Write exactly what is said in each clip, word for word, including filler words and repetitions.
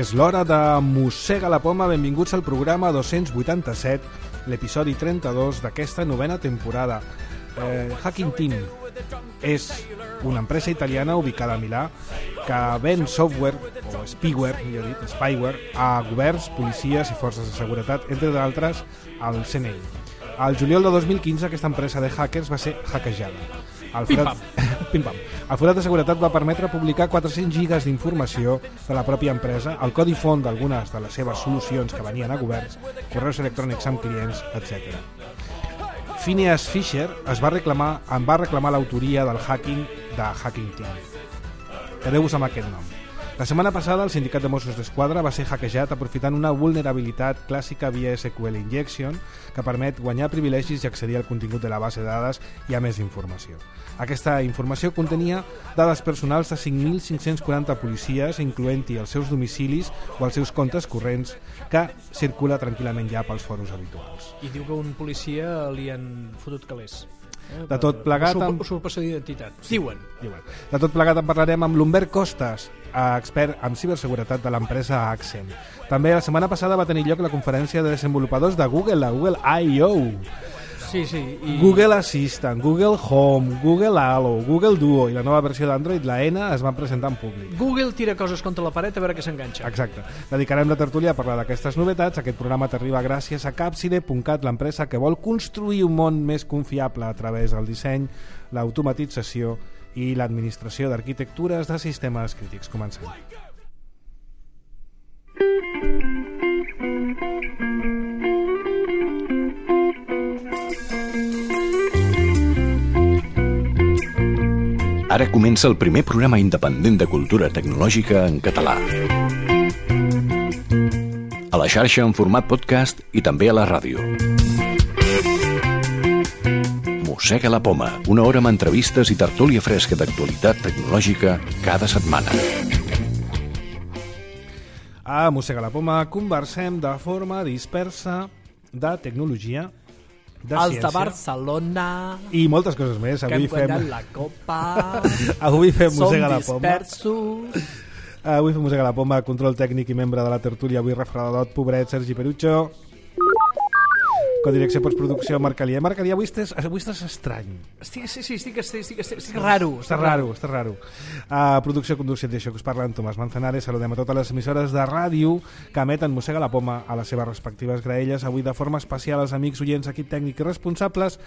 És l'hora de Mossega la Poma. Benvinguts al programa dos-cents vuitanta-set, l'episodi trenta-dos d'aquesta novena temporada. Eh, Hacking Team és una empresa italiana ubicada a Milà que ven software, o spyware, millor dit, spyware, a governs, policies i forces de seguretat, entre d'altres al C N I. Al juliol de dos mil quinze aquesta empresa de hackers va ser hackejada. El forat... Pim-pam. El forat de seguretat va permetre publicar quatre-cents gigas d'informació de la pròpia empresa, el codi font d'algunes de les seves solucions que venien a governs, correus electrònics amb clients, etcètera. Phineas Fisher es va reclamar, en va reclamar l'autoria del hacking de Hacking Team. Quedeu-vos amb aquest nom. La setmana passada el sindicat de Mossos d'Esquadra va ser hackejat aprofitant una vulnerabilitat clàssica via S Q L Injection que permet guanyar privilegis i accedir al contingut de la base de dades i a més informació. Aquesta informació contenia dades personals de cinc mil cinc-cents quaranta policies, incloent-hi els seus domicilis o els seus comptes corrents, que circula tranquil·lament ja pels foros habituals. I diu que un policia li han fotut calés. De tot plegat... Amb... Usurpació d'identitat. Diuen. Diuen. De tot plegat en parlarem amb l'Humbert Costas, expert en ciberseguretat de l'empresa Accent. També la setmana passada va tenir lloc la conferència de desenvolupadors de Google, la Google I O Sí, sí. I... Google Assistant, Google Home, Google Halo, Google Duo i la nova versió d'Android, la N, es van presentar en públic. Google tira coses contra la paret a veure què s'enganxa. Exacte. Dedicarem la tertúlia a parlar d'aquestes novetats. Aquest programa t'arriba gràcies a Capside punt cat, l'empresa que vol construir un món més confiable a través del disseny, l'automatització i l'administració d'arquitectures de sistemes crítics. Comencem. Ara comença el primer programa independent de cultura tecnològica en català. A la xarxa en format podcast i també a la ràdio. Mossega la Poma, una hora amb entrevistes i tertúlia fresca d'actualitat tecnològica cada setmana. A Mossega la Poma conversem de forma dispersa de tecnologia, de els ciència, de Barcelona i moltes coses més. Avui que fem la copa. Avui fem Mossega la Poma. Som dispersos. Avui fem Mossega la Poma, control tècnic i membre de la tertúlia avui refredadote, pobret, Sergi Perucho. Codirecció postproducció, Marc Alier. Marc Alier, avui estàs, avui estàs estrany. Estic, sí, sí, estic, estic, estic, estic, estic raro. Està raro, està raro. Uh, producció, conducció i això que us parla en Tomàs Manzanares. Saludem a totes les emissores de ràdio que emeten Mossega la Poma a les seves respectives graelles. Avui de forma especial als amics, oients, equip tècnic i responsables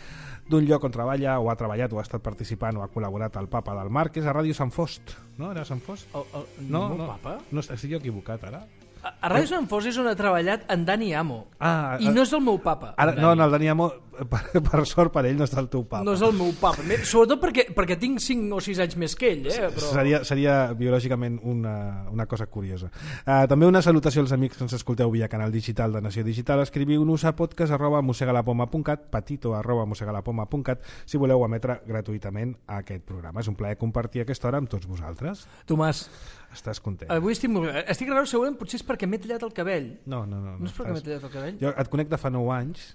d'un lloc on treballa o ha treballat o ha estat participant o ha col·laborat el papa del Marc, que és a Ràdio Sant Fost. No? Era Sant Fost? El, el, no, no, no, papa? No, estic jo equivocat ara. A, a Ràdio Sant Fos és on ha treballat en Dani Amo. Ah, I no és el meu papa. Ara, no, no, el Dani Amo, per, per sort per ell, no està el teu papa. No és el meu papa. Sobretot perquè, perquè tinc cinc o sis anys més que ell. Eh? Però... Seria, seria biològicament una, una cosa curiosa. Uh, també una salutació als amics que ens escolteu via canal digital de Nació Digital. Escriviu-nos a podcast arroba mossegalapoma punt cat, patito arroba mossegalapoma punt cat, si voleu emetre gratuïtament aquest programa. És un plaer compartir aquesta hora amb tots vosaltres. Tomàs, estàs content? Avui estic molt... Estic raro, segurament, potser és perquè m'he tallat el cabell. No, no, no. No, no és perquè m'he tallat el cabell? Jo et conec de fa nou anys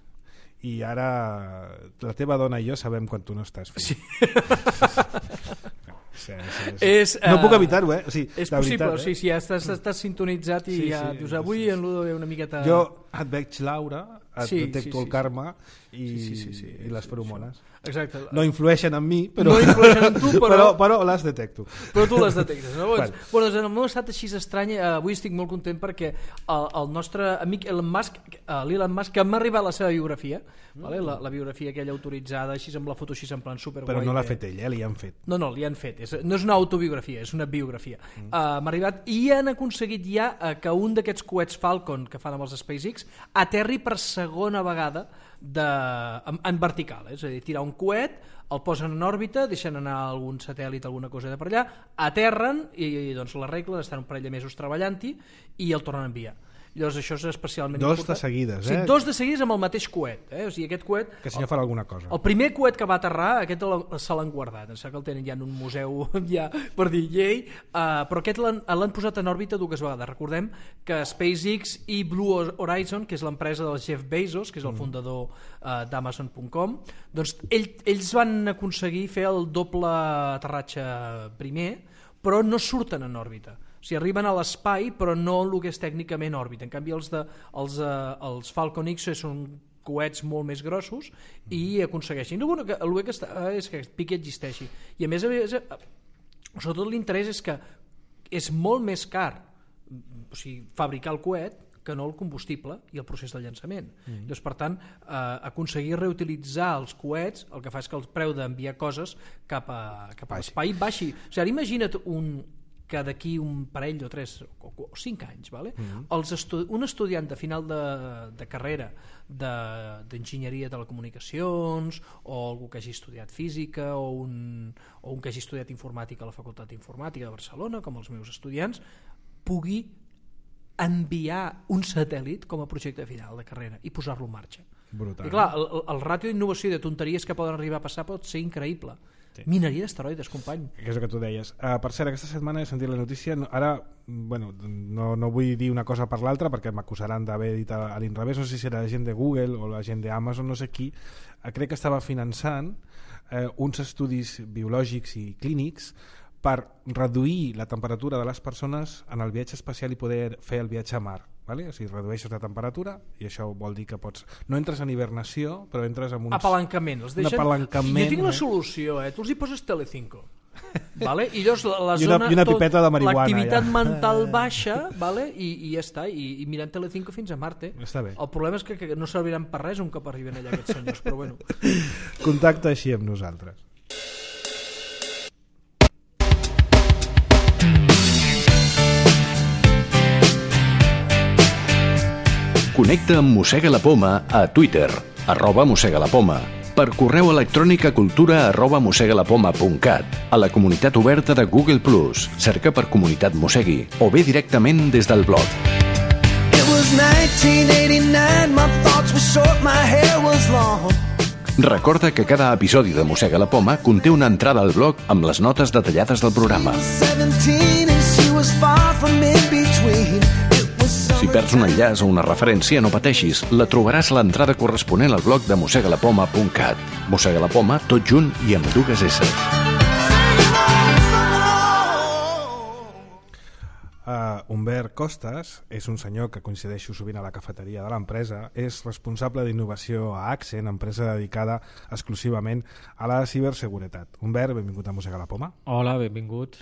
i ara la teva dona i jo sabem quan tu no estàs fent. Sí. Sí, sí, sí. És, no uh, puc evitar-ho, eh? O sigui, és possible, veritat, sí, eh? sí, ja estàs, estàs sintonitzat i sí, ja sí, dius, avui sí, sí. en Ludo ve una miqueta... Jo et veig Laura, et sí, detecto sí, sí, el karma sí. i, sí, sí, sí, i les sí, feromones. Exacte. No influeixen en mi, però, no influeixen en tu, però... però, però les detecto. Però tu les detectes. No? Bueno. Bueno, doncs en el meu estat així estrany, eh, avui estic molt content perquè el, el nostre amic Elon Musk, eh, l'Elon Musk, que m'ha arribat la seva biografia, mm. vale? la, la biografia aquella autoritzada, així amb la foto així en plan superguai. Però no l'ha fet ell, eh? Li han fet. No, no, li han fet. És, no és una autobiografia, és una biografia. Mm. Uh, m'ha arribat i han aconseguit ja uh, que un d'aquests coets Falcon que fan amb els SpaceX aterri per segona vegada de, en, en vertical, eh? És a dir, tirar un coet, el posen en òrbita, deixen anar algun satèl·lit, alguna cosa de per allà, aterren i, i doncs l'arreglen, estan un parell de mesos treballant-hi i el tornen a enviar. Llavors això és especialment dos important. de seguides, eh? Sí, dos de seguides amb el mateix coet, eh? O sigui, aquest coet... Que si no farà alguna cosa. El primer coet que va aterrar, aquest se l'han guardat, em sembla que el tenen ja en un museu ja per dir llei, uh, però aquest l'han posat en òrbita dues vegades. Recordem que SpaceX i Blue Horizon, que és l'empresa del Jeff Bezos, que és el fundador uh, d'Amazon punt com, doncs ell, ells van aconseguir fer el doble aterratge primer, però no surten en òrbita. O sigui, arriben a l'espai però no el que és tècnicament òrbita. En canvi els, de, els, eh, els Falcon X són coets molt més grossos i aconsegueixin. El que, el que està, és que aquest pic existeixi. I a més, a més sobretot l'interès és que és molt més car, o sigui, fabricar el coet que no el combustible i el procés de llançament. Mm. Llavors, per tant, eh, aconseguir reutilitzar els coets el que fa és que el preu d'enviar coses cap a, cap a l'espai baixi. O sigui, ara imagina't un, que d'aquí un parell o tres o, o cinc anys, vale? Mm. Els estu un estudiant de final de, de carrera d'enginyeria de, de telecomunicacions o algú que hagi estudiat física o un, o un que hagi estudiat informàtica a la Facultat d'Informàtica de Barcelona, com els meus estudiants, pugui enviar un satèl·lit com a projecte final de carrera i posar-lo en marxa. Brutal. I clar, el, el ràtio d'innovació i de tonteries que poden arribar a passar pot ser increïble. Sí. Mineria d'asteroides, company. Que és el que tu deies. Uh, per cert, aquesta setmana he sentit la notícia, no, ara bueno, no, no vull dir una cosa per l'altra perquè m'acusaran d'haver dit a, a l'inrevés, no sé si era la gent de Google o la gent d'Amazon, no sé qui, uh, crec que estava finançant uh, uns estudis biològics i clínics per reduir la temperatura de les persones en el viatge espacial i poder fer el viatge a mar. Vale? O sigui, redueixes la temperatura i això vol dir que pots... No entres en hibernació, però entres en uns... Apalancament. Els deixen... apalancament, jo tinc una eh? solució, eh? Tu els hi poses Telecinco. Vale? I llavors la, la I una, zona... I una pipeta de marihuana. L'activitat ja. mental baixa, vale? I, i ja està. I, i mirant Telecinco fins a Marte. Està bé. El problema és que, que no serviran per res un cop arriben allà aquests senyors, però bueno. Contacta així amb nosaltres. Connecta amb Mossega la Poma a Twitter, arroba Mossega la Poma, per correu electrònic a cultura arroba mossegalapoma punt cat, a la comunitat oberta de Google plus, cerca per Comunitat Mossegui, o bé directament des del blog. Recorda que cada episodi de Mossega la Poma conté una entrada al blog amb les notes detallades del programa. Si perds un enllaç o una referència, no pateixis, la trobaràs a l'entrada corresponent al blog de mossegalapoma punt cat. Mossega la Poma, tot junt i amb dues esses. Uh, Humbert Costas és un senyor que coincideixo sovint a la cafeteria de l'empresa, és responsable d'innovació a Accent, empresa dedicada exclusivament a la ciberseguretat. Humbert, benvingut a Mossega la Poma. Hola, benvinguts.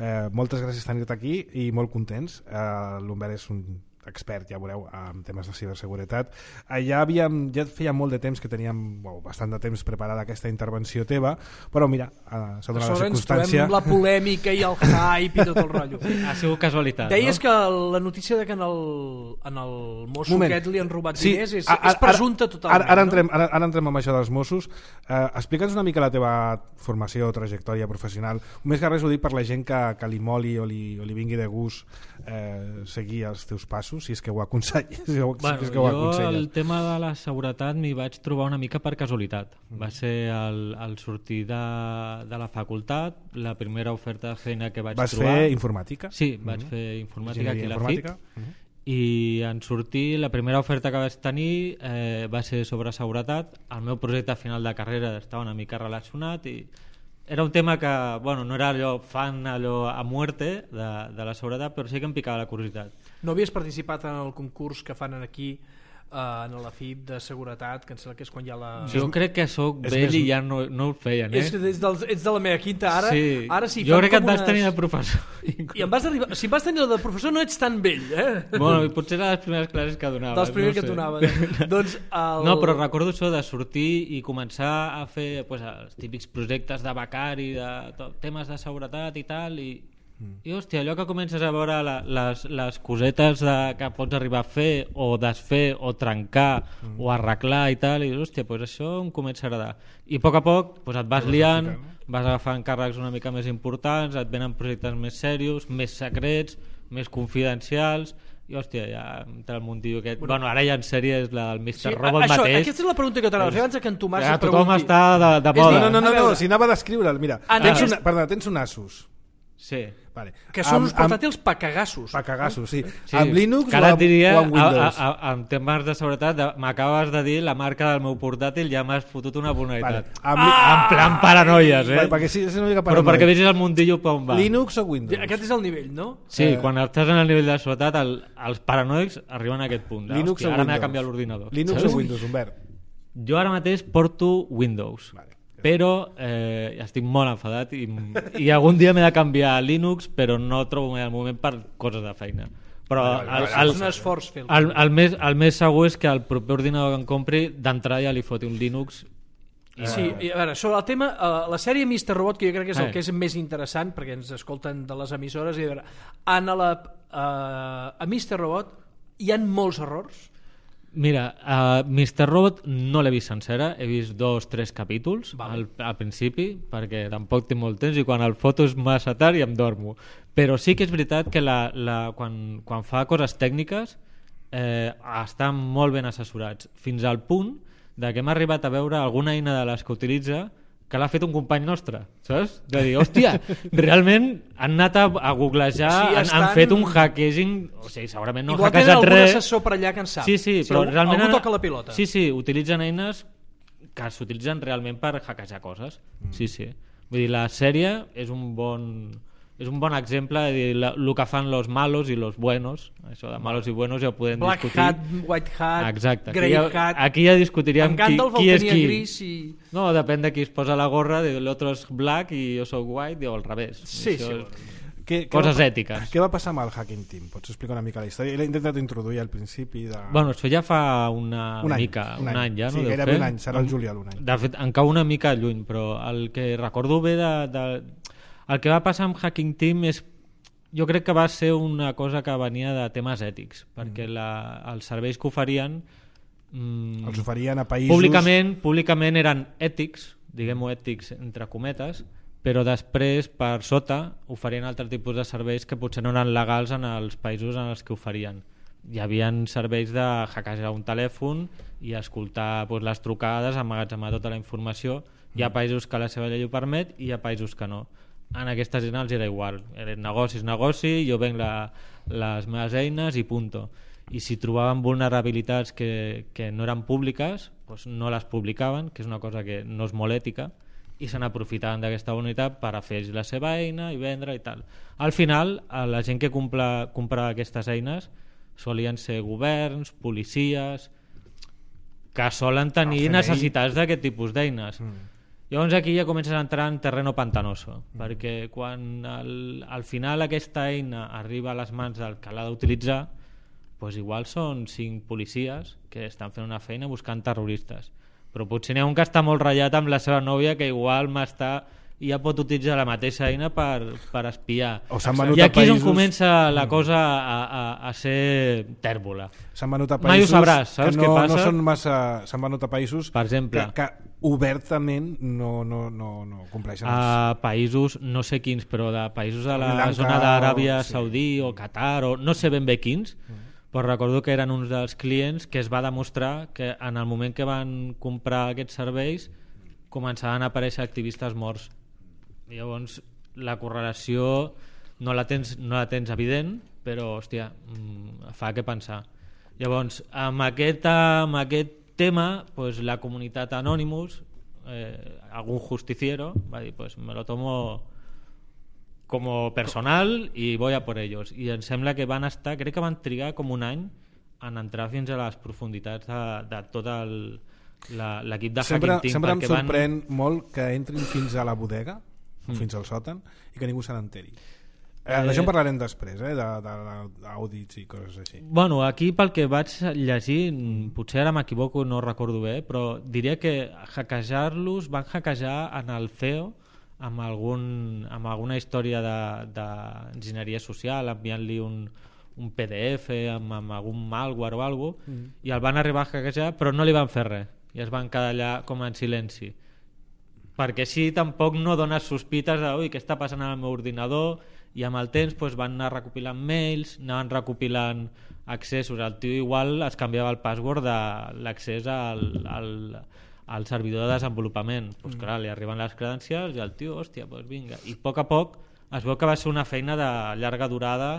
Eh, moltes gràcies per tenir-te aquí i molt contents. Eh, L'Humbert és un expert, ja veureu, en temes de ciberseguretat. Eh, ja, havíem, ja feia molt de temps que teníem, bueno, bastant de temps preparada aquesta intervenció teva, però mira, eh, s'ha donat la circumstància. Ens trobem la polèmica i el hype i tot el rotllo. Ha sigut casualitat, Deies no? que la notícia de que en el, en el mosso Moment. aquest li han robat sí, diners és, ara, és presumpte totalment. Ara, ara, no? entrem, ara, ara entrem amb això dels Mossos. Eh, Explica'ns una mica la teva formació o trajectòria professional. Més que res ho dic per la gent que, que li moli o li, o li vingui de gust eh, seguir els teus passos, si és que ho aconselles. Si ho, Bueno, si és que ho jo aconselles. el tema de la seguretat m'hi vaig trobar una mica per casualitat. Va ser al, al sortir de, de la facultat, la primera oferta de feina que vaig Vas trobar... Vas fer informàtica? Sí, vaig fer informàtica aquí a la F I C. Uh-huh. I en sortir, la primera oferta que vaig tenir eh, va ser sobre seguretat. El meu projecte final de carrera estava una mica relacionat i era un tema que, bueno, no era allò fan allò a muerte de, de la seguretat, però sí que em picava la curiositat. No havies participat en el concurs que fan aquí eh, en la F I P de seguretat, que em sembla que és quan hi ha la... Jo crec que sóc vell més... i ja no, no el feien, eh? És que ets, dels, ets de la meva quinta, ara sí, ara sí jo crec que et vas unes... tenir de professor. I em vas arribar... Si em vas tenir de professor no ets tan vell, eh? Bueno, potser eren les primeres classes que donaves. Dels primers no que sé. donaven. Doncs el... No, però recordo això de sortir i començar a fer pues, els típics projectes de becari, de tot, temes de seguretat i tal, i I hòstia, allò que comences a veure la, les, les cosetes de, que pots arribar a fer o desfer o trencar mm. o arreglar i tal, i hòstia, pues això em comença a agradar. I a poc a poc pues et vas liant, vas agafant càrrecs una mica més importants, et venen projectes més serios, més secrets, més confidencials, i hòstia, ja entra el mundillo aquest. Bueno, bueno ara ja en sèrie és la del mister Sí, Robot això, mateix. Aquesta és la pregunta que t'anava a fer abans que en Tomàs ja, es pregunti. Tothom està de, de moda. No, no, no, no, no si anava a descriure'l, mira, ah, tens, no, una, perdona, tens un Asus. Sí. Vale. Que són Amb- uns portàtils pa cagassos. Pa cagassos, sí. Sí, Amb Linux que ara o et amb, diria, o amb Windows? A, a, a, en temes de seguretat, de- m'acabes de dir la marca del meu portàtil, ja m'has fotut una Vale. vulnerabilitat. Amb, En plan paranoies, eh? Vale, perquè sí, és una mica Però paranoia. perquè vegis el mundillo per on va. Linux o Windows? Aquest és el nivell, no? Sí, Eh, quan estàs en el nivell de seguretat, el, els paranoics arriben a aquest punt. De, Linux hòstia, o ara m'ha Windows? canviat l'ordinador. Linux saps? o Windows, Humbert? Jo ara mateix porto Windows. Vale. Però eh, estic molt enfadat i, i algun dia m'he de canviar a Linux, però no trobo mai el moment per coses de feina. Però Vale, vale, el, vale, el, És un esforç fer el, el, més, el més segur és que el proper ordinador que em compri d'entrada ja li foti un Linux. I Sí, i a veure, sobre el tema, uh, la sèrie mister Robot, que jo crec que és el Eh. que és més interessant, perquè ens escolten de les emissores, i a veure, en la, uh, a mister Robot hi han molts errors. Mira, uh, mister Robot no l'he vist sencera, he vist dos, tres capítols Vale. al, al principi, perquè tampoc tinc molt temps i quan el foto és massa tard i em dormo. Però sí que és veritat que la, la, quan, quan fa coses tècniques eh, estan molt ben assessorats, fins al punt de que hem arribat a veure alguna eina de les que utilitza que l'ha fet un company nostre, saps? De dir, hòstia, realment han anat a, a googlejar, Sí, han, estan- han fet un hackejing, o sigui, segurament no han Igual tenen hackejat algun res. assessor per allà que en sap. Sí, sí, Si però algú, realment... algú han- toca la pilota. Sí, sí, utilitzen eines que s'utilitzen realment per hackejar coses. Mm. Sí, sí. Vull dir, la sèrie és un bon... És un bon exemple de dir la, el que fan los malos i los buenos. Això de malos i buenos ja ho podem Black discutir. Hat, White Hat, Exacte. Grey Aquí ja, Hat... aquí ja discutiríem en qui, Gandalf qui el és tenia qui. gris i... No, depèn de qui es posa la gorra, de l'altre és black i jo sóc white, o al revés. Sí, Això sí, és- Què, què Coses va, ètiques. Què va passar amb el Hacking Team? Pots explicar una mica la història? L'he intentat introduir al principi de... Bueno, això ja fa una un any, mica, un, any, ja, no? Sí, deu gairebé fer? un any, serà el juliol un any. De fet, em cau una mica lluny, però el que recordo bé de, de... El que va passar amb Hacking Team és... Jo crec que va ser una cosa que venia de temes ètics, perquè la, els serveis que oferien... Mm, Els oferien a països... públicament, públicament eren ètics, diguem-ho ètics entre cometes, però després, per sota, oferien altres tipus de serveis que potser no eren legals en els països en els que oferien. Hi havia serveis de hackejar un telèfon i escoltar doncs, les trucades, emmagatzemar tota la informació. Hi ha països que la seva llei ho permet i hi ha països que no. En aquesta gent els era igual. Era negoci és negoci, jo venc la, les meves eines i punto. I si trobaven vulnerabilitats que, que no eren públiques, doncs no les publicaven, que és una cosa que no és molt ètica, i se n'aprofitaven d'aquesta unitat per a fer la seva eina i vendre i tal. Al final, la gent que compra, compra aquestes eines solien ser governs, policies, que solen tenir necessitats d'aquest tipus d'eines. Mm. Llavors aquí ja comences a entrar en terreno pantanoso, mm. perquè quan al, al final aquesta eina arriba a les mans del que l'ha d'utilitzar, doncs igual són cinc policies que estan fent una feina buscant terroristes. Però potser n'hi ha un que està molt ratllat amb la seva nòvia que igual m'està i ja pot utilitzar la mateixa eina per, per espiar. O s'han venut I a aquí és on països- comença la cosa a, a, a ser tèrbola. S'han venut a Mai ho països sabràs, saps que no, què passa? no són massa... S'han venut a països Per exemple. que, que obertament no, no, no, no compleixen els... A països, no sé quins, però de països de la Sri Lanka zona d'Aràbia o- sí. Saudí o Qatar, o no sé ben bé quins, mm. però recordo que eren uns dels clients que es va demostrar que en el moment que van comprar aquests serveis començaven a aparèixer activistes morts. I llavors la correlació no la tens, no la tens evident, però hòstia, mm, fa que pensar. Llavors, amb aquest, amb aquest tema, pues, la comunitat Anonymous, eh, algun justiciero, va dir, pues, me lo tomo como personal y voy a por ellos. I em sembla que van estar, crec que van trigar com un any en entrar fins a les profunditats de, de tot el, la, l'equip de Sempre, Hacking Team. sempre em perquè van- sorprèn molt que entrin fins a la bodega, mm. fins al sòtan, i que ningú se n'enteri. Eh, Eh, D'això en parlarem després, eh, de, de, d'audits i coses així. Bueno, aquí pel que vaig llegir, potser ara m'equivoco, no recordo bé, però diria que hackejar-los van hackejar en el C E O amb, algun, amb alguna història d'enginyeria social, enviant-li un, un P D F amb, amb algun malware o alguna cosa, mm. i el van arribar a hackejar, però no li van fer res, i es van quedar allà com en silenci. Perquè així tampoc no dones sospites de ui, què està passant al meu ordinador, i amb el temps doncs, van anar recopilant mails, anaven recopilant accessos. El tio igual es canviava el password de l'accés al, al, al servidor de desenvolupament. Doncs, clar, li arriben les credencials i el tio, hòstia, doncs vinga. I a poc a poc es veu que va ser una feina de llarga durada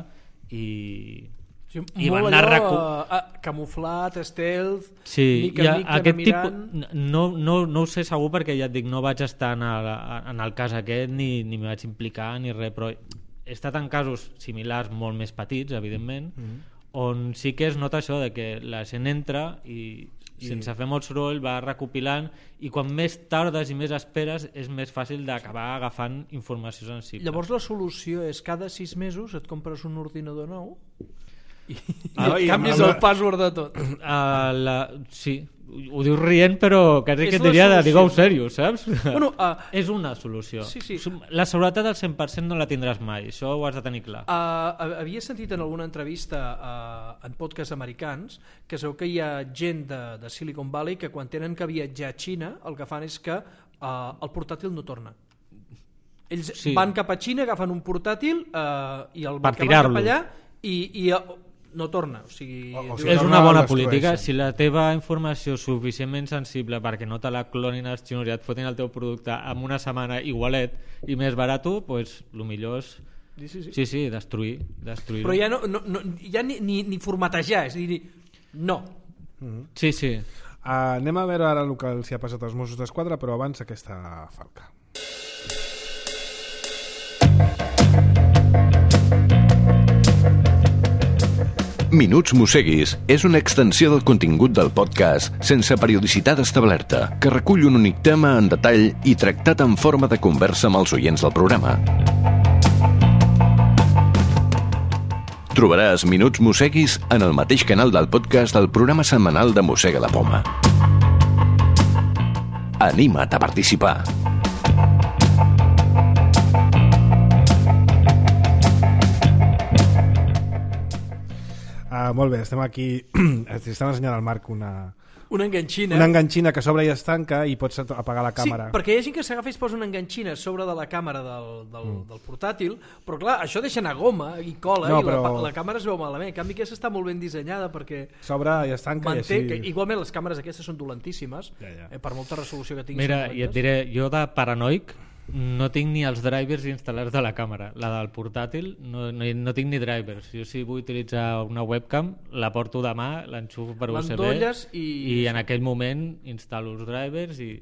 i... Sí, I molt van anar allò, recu... uh, camuflat, stealth, sí, mica en mica aquest mirant... tipus, no, no, no ho sé segur perquè ja et dic, no vaig estar en el, en el cas aquest ni, ni m'hi vaig implicar ni res, però he estat en casos similars molt més petits, evidentment, mm-hmm. on sí que es nota això de que la gent entra i sense fer molt soroll va recopilant i quan més tardes i més esperes és més fàcil d'acabar agafant informació sensible. Llavors la solució és cada sis mesos et compres un ordinador nou i, ah, i canvis amb, el password de tot. Uh, la, sí, ho dius rient però quasi que et diria de digue-ho sèrio, saps? Bueno, uh, és una solució. Sí, sí. La seguretat al cent per cent no la tindràs mai, això ho has de tenir clar. Uh, havia sentit en alguna entrevista uh, en podcasts americans que es veu que hi ha gent de, de Silicon Valley que quan tenen que viatjar a Xina el que fan és que uh, el portàtil no torna. Ells sí. van cap a Xina, agafen un portàtil uh, i el van cap allà i, i no torna, o sigui, o, o sigui és una bona política. Si la teva informació és suficientment sensible perquè no te la clonin els xinos i et fotin el teu producte en una setmana igualet i més barat, pues el millor és sí, sí, sí. sí, sí, destruir, destruir però ja no, no, no ja ni, ni, ni formatejar, és a dir, no mm-hmm. sí, sí. Uh, anem a veure ara el que els hi ha passat als Mossos d'Esquadra, però abans aquesta falca. Minuts Mosseguis és una extensió del contingut del podcast sense periodicitat establerta, que recull un únic tema en detall i tractat en forma de conversa amb els oients del programa. Trobaràs Minuts Mosseguis en el mateix canal del podcast del programa setmanal de Mossega la Poma. Anima't a participar! Uh, molt bé, estem aquí estem ensenyant al Marc una una enganxina una enganxina que s'obre i es tanca i pots apagar la càmera. Sí, perquè hi ha gent que s'agafa i es posa una enganxina sobre de la càmera del, del, mm. del portàtil, però clar, això deixa anar goma i cola no, i la, però... la càmera es veu malament. En canvi aquesta està molt ben dissenyada perquè s'obre i es tanca manté, i així... que, igualment les càmeres aquestes són dolentíssimes, ja, ja. Eh, per molta resolució que tinguis. Mira, i et diré, jo de paranoic no tinc ni els drivers instal·lats de la càmera. La del portàtil no, no, no tinc ni drivers. Jo si vull utilitzar una webcam la porto de mà, l'enxufo per U S B i... i en aquell moment instal·lo els drivers i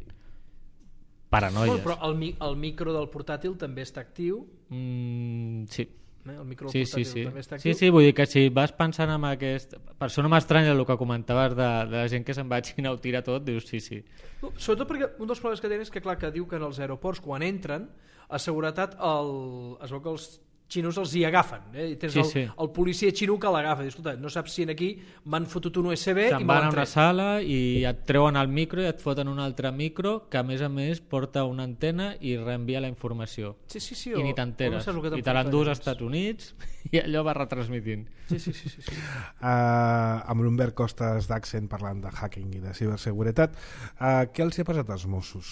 paranoies. Bueno, però el, el micro del portàtil també està actiu? Mm, sí. Eh? El micro sí, portàtil sí, sí. també està actiu? Sí, sí, vull dir que si vas pensant en aquest... Per això no m'estranya el que comentaves de, de la gent que se'n va a Xina ho tira tot, dius sí, sí. No, sobretot perquè un dels problemes que tenen és que, clar, que diu que en els aeroports quan entren a seguretat el... es veu que els xinos els hi agafen, eh? I tens sí, el, sí. el policia xino que l'agafa, escolta, no saps si en aquí m'han fotut un U S B se'n i van a una sala i et treuen el micro i et foten un altre micro que a més a més porta una antena i reenvia la informació sí, sí, sí, i o, ni t'enteres no i te l'endús als Estats Units i allò va retransmitint sí, sí, sí, sí, sí. Uh, amb l'Humbert Costas d'Accent parlant de hacking i de ciberseguretat, uh, què els hi ha passat als Mossos?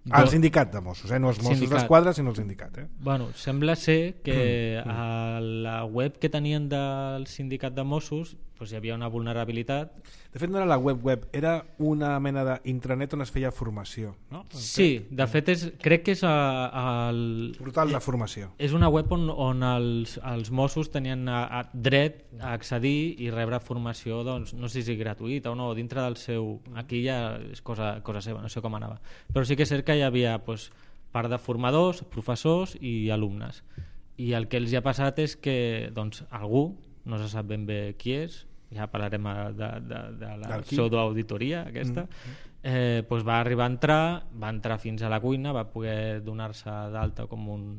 Ah, el sindicat de Mossos, eh? No els Mossos d'Esquadra, sinó el sindicat. Eh? Bueno, sembla ser que a la web que tenien del sindicat de Mossos pues, hi havia una vulnerabilitat. De fet, no era la web web, era una mena d'intranet on es feia formació. No? Sí, de fet, és, crec que és a, a el... portal de formació. És una web on, on els, els Mossos tenien a, a dret a accedir i rebre formació, doncs, no sé si gratuïta o no, dintre del seu... Aquí ja és cosa, cosa seva, no sé com anava. Però sí que és cert que hi havia pues, part de formadors, professors i alumnes. I el que els ha passat és que doncs, algú, no se sap ben bé qui és, ja parlarem de, de, de la pseudoauditoria aquesta, mm. eh, doncs va arribar a entrar, va entrar fins a la cuina, va poder donar-se d'alta com un...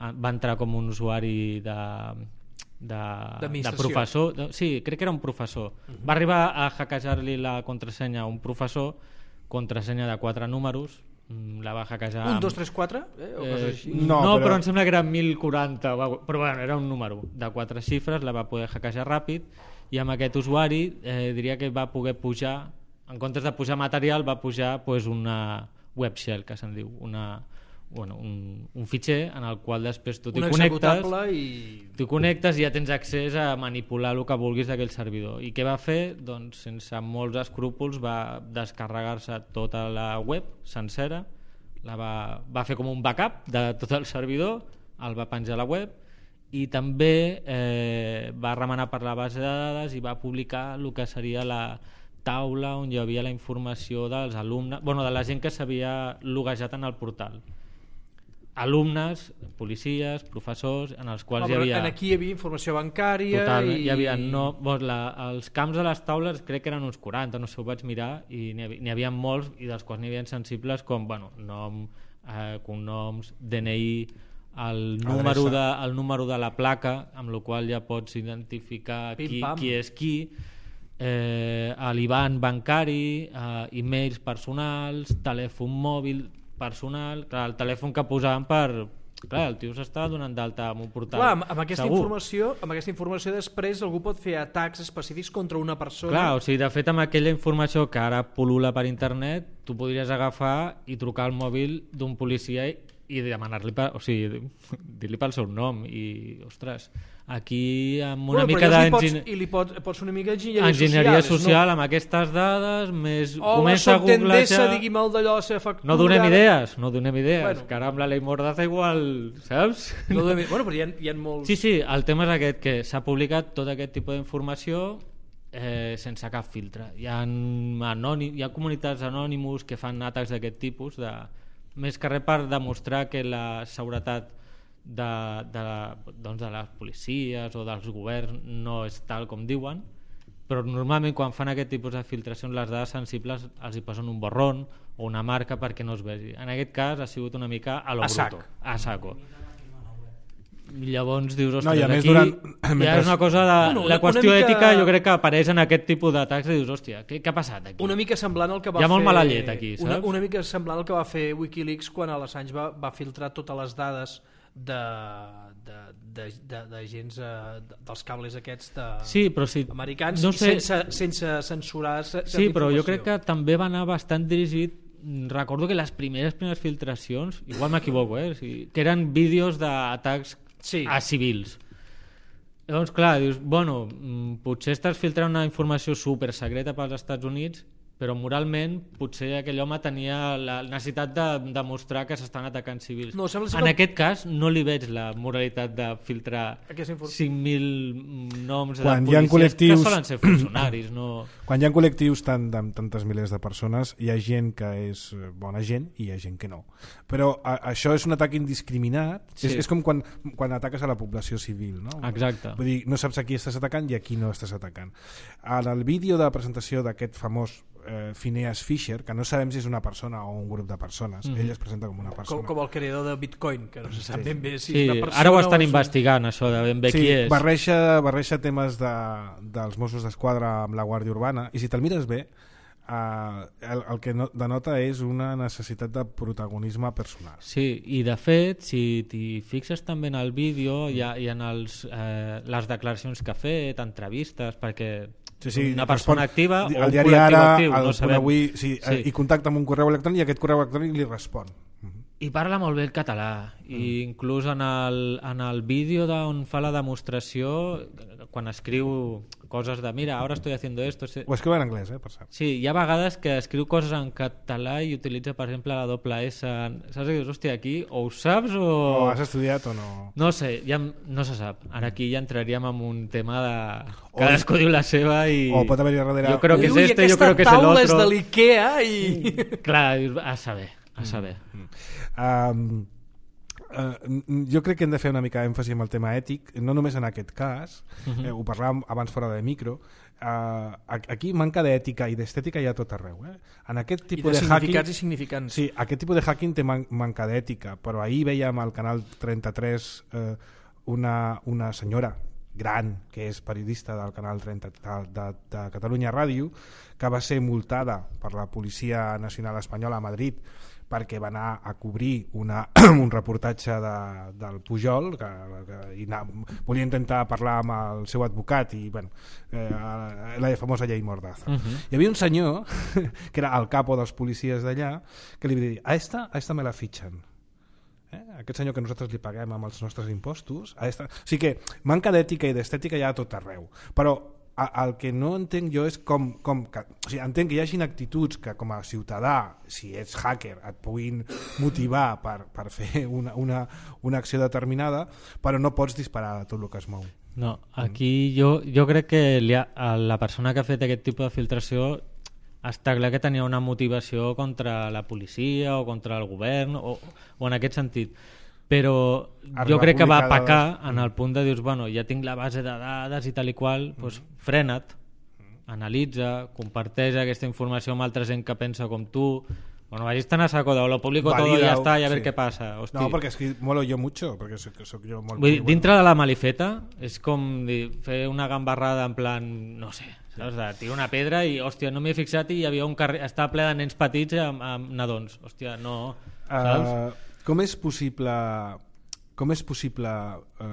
va entrar com un usuari de... de, de professor, de, sí, crec que era un professor. Uh-huh. Va arribar a hackejar-li la contrasenya a un professor, contrasenya de quatre números, la va hackejar... un, dos, tres, quatre? Eh, o eh, així? No, no però... però em sembla que era mil quaranta, però bueno, era un número de quatre xifres, la va poder hackejar ràpid i amb aquest usuari eh, diria que va poder pujar, en comptes de pujar material, va pujar pues, una web shell, que se'n diu, una, bueno, un, un fitxer en el qual després tu t'hi connectes, i... t'hi connectes i ja tens accés a manipular el que vulguis d'aquell servidor. I què va fer? Doncs sense molts escrúpols va descarregar-se tota la web sencera, la va, va fer com un backup de tot el servidor el va penjar a la web i també eh, va remenar per la base de dades i va publicar el que seria la taula on hi havia la informació dels alumnes, bueno, de la gent que s'havia loguejat en el portal. Alumnes, policies, professors, en els quals oh, hi havia... Aquí hi havia informació bancària... Totalment, i... hi havia... No, doncs la, els camps de les taules crec que eren uns quaranta, no sé, ho vaig mirar, i n'hi havia, n'hi havia molts, i dels quals n'hi havia sensibles com, bueno, nom, eh, cognoms, D N I, el número, de, el número de la placa, amb la qual ja pots identificar qui, qui és qui, eh, l'I B A N bancari, eh, e-mails personals, telèfon mòbil personal, clar, el telèfon que posaven per... Clar, el tio s'està donant d'alta amb un portal. Clar, amb, amb, aquesta segur. informació, amb aquesta informació després algú pot fer atacs específics contra una persona. Clar, o sigui, de fet, amb aquella informació que ara pol·lula per internet, tu podries agafar i trucar al mòbil d'un policia i demanar-li, o sigui, dir-li pel seu nom i, ostres, aquí amb una bueno, mica d'enginyeria i li pots, pots fer una mica d'enginyeria enginyeria social, social no? Amb aquestes dades més Hola, comença a soc Endesa, googlejar... digui'm el d'allò, la seva factura... No donem idees, no donem idees, bueno. que ara amb la llei Mordaza igual, saps? No donem... Bueno, però hi ha, hi ha molts... Sí, sí, el tema és aquest, que s'ha publicat tot aquest tipus d'informació eh, sense cap filtre. Hi ha, anònim, hi ha comunitats anònimus que fan atacs d'aquest tipus, de, més que res per demostrar que la seguretat de, de, doncs de les policies o dels governs no és tal com diuen, però normalment quan fan aquest tipus de filtracions les dades sensibles els hi posen un borrón o una marca perquè no es vegi. En aquest cas ha sigut una mica a lo a bruto, a saco. Llavors dius, ostres, no, i a aquí més durant... ja mentre... és una cosa de... Bueno, una, la qüestió una mica... ètica jo crec que apareix en aquest tipus d'atacs i dius, hòstia, què, què ha passat aquí? Una mica semblant al que va hi ha fer... molt mala llet aquí, saps? Una, una mica semblant al que va fer Wikileaks quan l'Assange va, va filtrar totes les dades de, de, de, de, de gens uh, dels cables aquests de... sí, però sí, americans no sé... sense, sense censurar certa sí, però informació. jo crec que també va anar bastant dirigit. Recordo que les primeres primeres filtracions, igual m'equivoco, eh? O sigui, que eren vídeos d'atacs sí. a civils. Llavors, clar, dius, bueno, potser estàs filtrant una informació super secreta pels Estats Units, però moralment potser aquell home tenia la necessitat de demostrar que s'estan atacant civils. No, sembla en que... aquest cas no li veig la moralitat de filtrar cinc mil noms quan de policies col·lectius... que solen ser funcionaris. No... Quan hi ha col·lectius tant, amb tantes milers de persones, hi ha gent que és bona gent i hi ha gent que no. Però a, això és un atac indiscriminat, sí. és, és com quan, quan ataques a la població civil. No? Exacte. Vull dir, no saps a qui estàs atacant i a qui no estàs atacant. En el vídeo de presentació d'aquest famós eh, Phineas Fisher, que no sabem si és una persona o un grup de persones, mm-hmm. ell es presenta com una persona. Com, com el creador de Bitcoin, que no se sap sí. ben bé si sí. és una persona. Ara ho estan o investigant, això de ben bé sí, qui és. Barreja, barreja temes de, dels Mossos d'Esquadra amb la Guàrdia Urbana, i si te'l mires bé, Uh, el, el que no, denota és una necessitat de protagonisme personal. Sí, i de fet, si t'hi fixes també en el vídeo, hi ha, hi ha els, eh, les declaracions que ha fet, entrevistes, perquè sí, sí, una persona respon, activa o un el diari col·lectiu Ara, actiu, el no sabem. Avui, sí, sí. I contacta amb un correu electrònic i aquest correu electrònic li respon. I parla molt bé el català, mm. i inclús en el, en el vídeo on fa la demostració, quan escriu coses de mira, ara estoy haciendo esto... Ho escriu en anglès, eh, per cert. Sí, hi ha vegades que escriu coses en català i utilitza, per exemple, la doble S. Saps que dius, hòstia, aquí o ho saps o... O has estudiat o no... No sé, ja no se sap. Ara aquí ja entraríem en un tema de... Cadascú diu la seva i... O pot haver-hi darrere... Jo crec que és Ui, este, jo crec que és el otro. Aquesta taula és de l'Ikea i... Clar, a saber, a saber. Mm. Um, uh, jo crec que hem de fer una mica èmfasi en el tema ètic, no només en aquest cas, uh-huh. eh, ho parlàvem abans fora de micro, uh, aquí manca d'ètica i d'estètica hi ha tot arreu. Eh? En aquest tipus I de, de significats hacking, i significants. Sí, aquest tipus de hacking té man manca d'ètica, però ahir veiem al canal trenta-tres eh, una, una senyora gran, que és periodista del canal trenta de, de, de Catalunya Ràdio, que va ser multada per la Policia Nacional Espanyola a Madrid perquè va anar a cobrir una, un reportatge de, del Pujol, que, que i anar, volia intentar parlar amb el seu advocat i bueno, eh, la famosa llei Mordaza. Uh-huh. Hi havia un senyor que era el capo dels policies d'allà que li va dir, a esta, a esta me la fitxen. Eh? Aquest senyor que nosaltres li paguem amb els nostres impostos, a esta... O sigui que manca d'ètica i d'estètica hi ha a tot arreu, però el que no entenc jo és com, com que, o sigui, entenc que hi hagin actituds que com a ciutadà, si ets hacker, et puguin motivar per, per fer una, una, una acció determinada, però no pots disparar a tot el que es mou. No, aquí jo, jo crec que li ha, la persona que ha fet aquest tipus de filtració està clar que tenia una motivació contra la policia o contra el govern o, o en aquest sentit, però Arriba jo crec que va publicada pecar dades. en el punt de dir, bueno, ja tinc la base de dades i tal i qual, mm. doncs frena't, analitza, comparteix aquesta informació amb altra gent que pensa com tu. Bueno, vagis tan a saco de lo publico todo y ya está y a ver sí. qué pasa. Hosti. No, perquè és que molo jo mucho, perquè soc, soc jo molt... Vull dir, bueno. dintre de la malifeta és com dir, fer una gambarrada en plan, no sé, saps? De tirar una pedra i, hòstia, no m'hi he fixat i hi havia un carrer, estava ple de nens petits amb, amb nadons. Hòstia, no, saps? Uh, com és possible... Com és possible eh,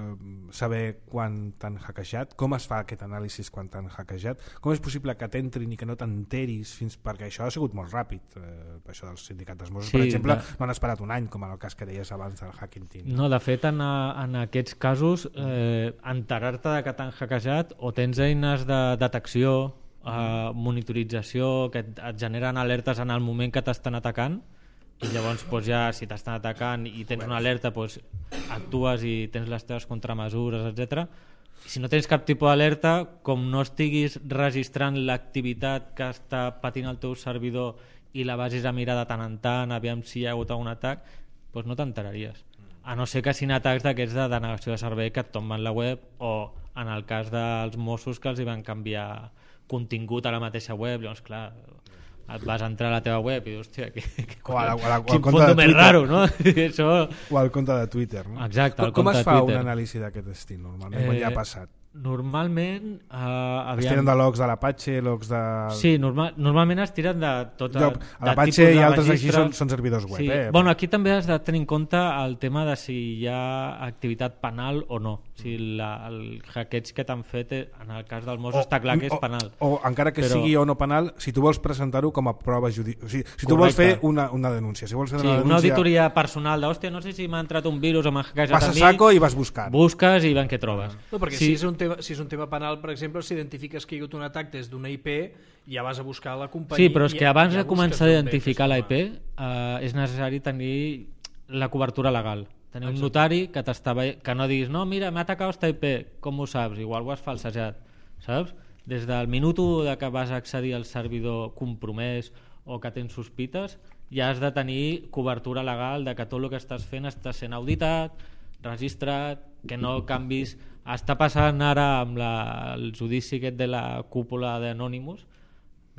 saber quan t'han hackejat? Com es fa aquest anàlisi quan t'han hackejat? Com és possible que t'entrin i que no t'enteris fins... Perquè això ha sigut molt ràpid, eh, això dels sindicats dels Mossos, Sí, per exemple, de... no han esperat un any, com en el cas que deies abans del Hacking Team. No, de fet, en, a, en aquests casos, eh, enterar-te de que t'han hackejat o tens eines de detecció, eh, monitorització, que et, et generen alertes en el moment que t'estan atacant, i llavors doncs, ja si t'estan atacant i tens una alerta doncs, actues i tens les teves contramesures, etcètera. Si no tens cap tipus d'alerta, com no estiguis registrant l'activitat que està patint el teu servidor i la vagis a mirar de tant en tant, aviam si hi ha hagut algun atac, doncs no t'enteraries. A no ser que siguin atacs d'aquests de denegació de servei que et tomben la web, o en el cas dels Mossos que els hi van canviar contingut a la mateixa web, llavors clar, et vas entrar a la teva web i dius, hòstia, que, que, O a la- o a la- o al quin compte de fondo més Twitter. raro, no? Això... O al compte de Twitter, no? Exacte, al Com, com compte es de fa Twitter. un anàlisi d'aquest estil, normalment, quan ja ha passat? Normalment eh, Es aviam... tiren de logs de l'Apache, logs de... Sí, normal, normalment es tiren de tot Jo, de, a l'Apache i altres així són, són servidors web. Sí. Eh? Bueno, aquí també has de tenir en compte el tema de si hi ha activitat penal o no. Si la, el hackeig que t'han fet, eh, en el cas del Mossos, està clar que és penal. O, o encara que Però... sigui o no penal, si tu vols presentar-ho com a prova judicial. O sigui, si tu Correcte. vols fer una, una denúncia, si vols fer Sí, una una denúncia... auditoria personal de, hòstia, no sé si m'ha entrat un virus o m'ha hackejat Vas a a mi, saco i vas buscant. busques i van què trobes. No, perquè Sí. si, és un tema, si és un tema penal, per exemple, si identifiques que hi ha hagut un atac des d'una I P, ja vas a buscar la companyia. Sí, però és que ja- abans ja de començar a busques d'on ve identificar la I aquesta P eh, és necessari tenir la cobertura legal. Tenir un notari que t'estava que no diguis, no, mira, m'ha atacat esta I P, com ho saps? Igual ho has falsejat, saps? Des del minut u de que vas accedir al servidor compromès o que tens sospites, ja has de tenir cobertura legal de que tot el que estàs fent està sent auditat, registrat, que no canvis. Està passant ara amb la, el judici aquest de la cúpula d'Anonymous,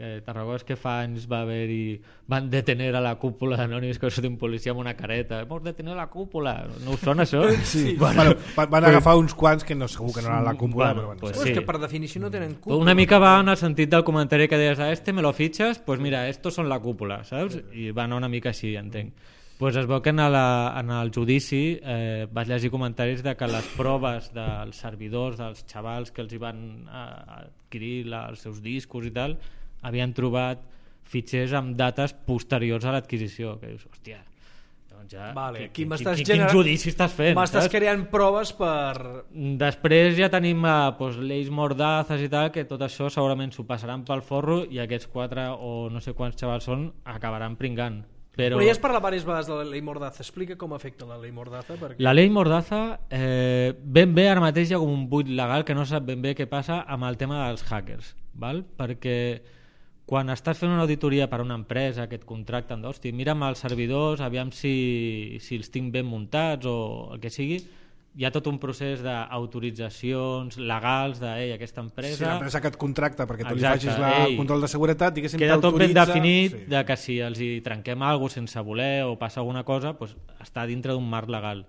que te'n recordes que fa anys va haver-hi, van detener a la cúpula d'Anonymous, que va un policia amb una careta, hemos detenido la cúpula, no us sona això? Sí, bueno, van, van agafar uns quants que no, segur que no eren la cúpula, Bueno, però bueno. pues Pues sí. és que per definició no tenen culpa. Una mica va en el sentit del comentari que deies, a este me lo fichas, pues mira, estos son la cúpula, saps? I va anar una mica així, entenc. Pues es veu que en, la, en el judici eh, vaig llegir comentaris de que les proves dels servidors, dels xavals que els hi van eh, adquirir la, els seus discos i tal, havien trobat fitxers amb dates posteriors a l'adquisició, que dius, hòstia, doncs ja, Vale, aquí quin, m'estàs quin, quin generant- judici estàs fent? M'estàs saps? creant proves per... Després ja tenim eh, doncs, lleis mordazes i tal, que tot això segurament s'ho passaran pel forro i aquests quatre o no sé quants xavals són acabaran pringant. Però Però ja has parlat diverses vegades de la llei Mordaza. Explica com afecta la llei Mordaza. Perquè... la llei Mordaza, eh, ben bé ara mateix hi ha com un buit legal que no sap ben bé què passa amb el tema dels hackers, val? Perquè quan estàs fent una auditoria per a una empresa que et contracten, d'hosti, mira'm els servidors, aviam si, si els tinc ben muntats o el que sigui, hi ha tot un procés d'autoritzacions legals de, ei, aquesta empresa... Si l'empresa que et contracta perquè tu li Exacte, facis la, ei, el control de seguretat, diguéssim, queda tot ben t'autoritza- definit sí. de que si els hi trenquem alguna cosa sense voler o passa alguna cosa, doncs està dintre d'un marc legal.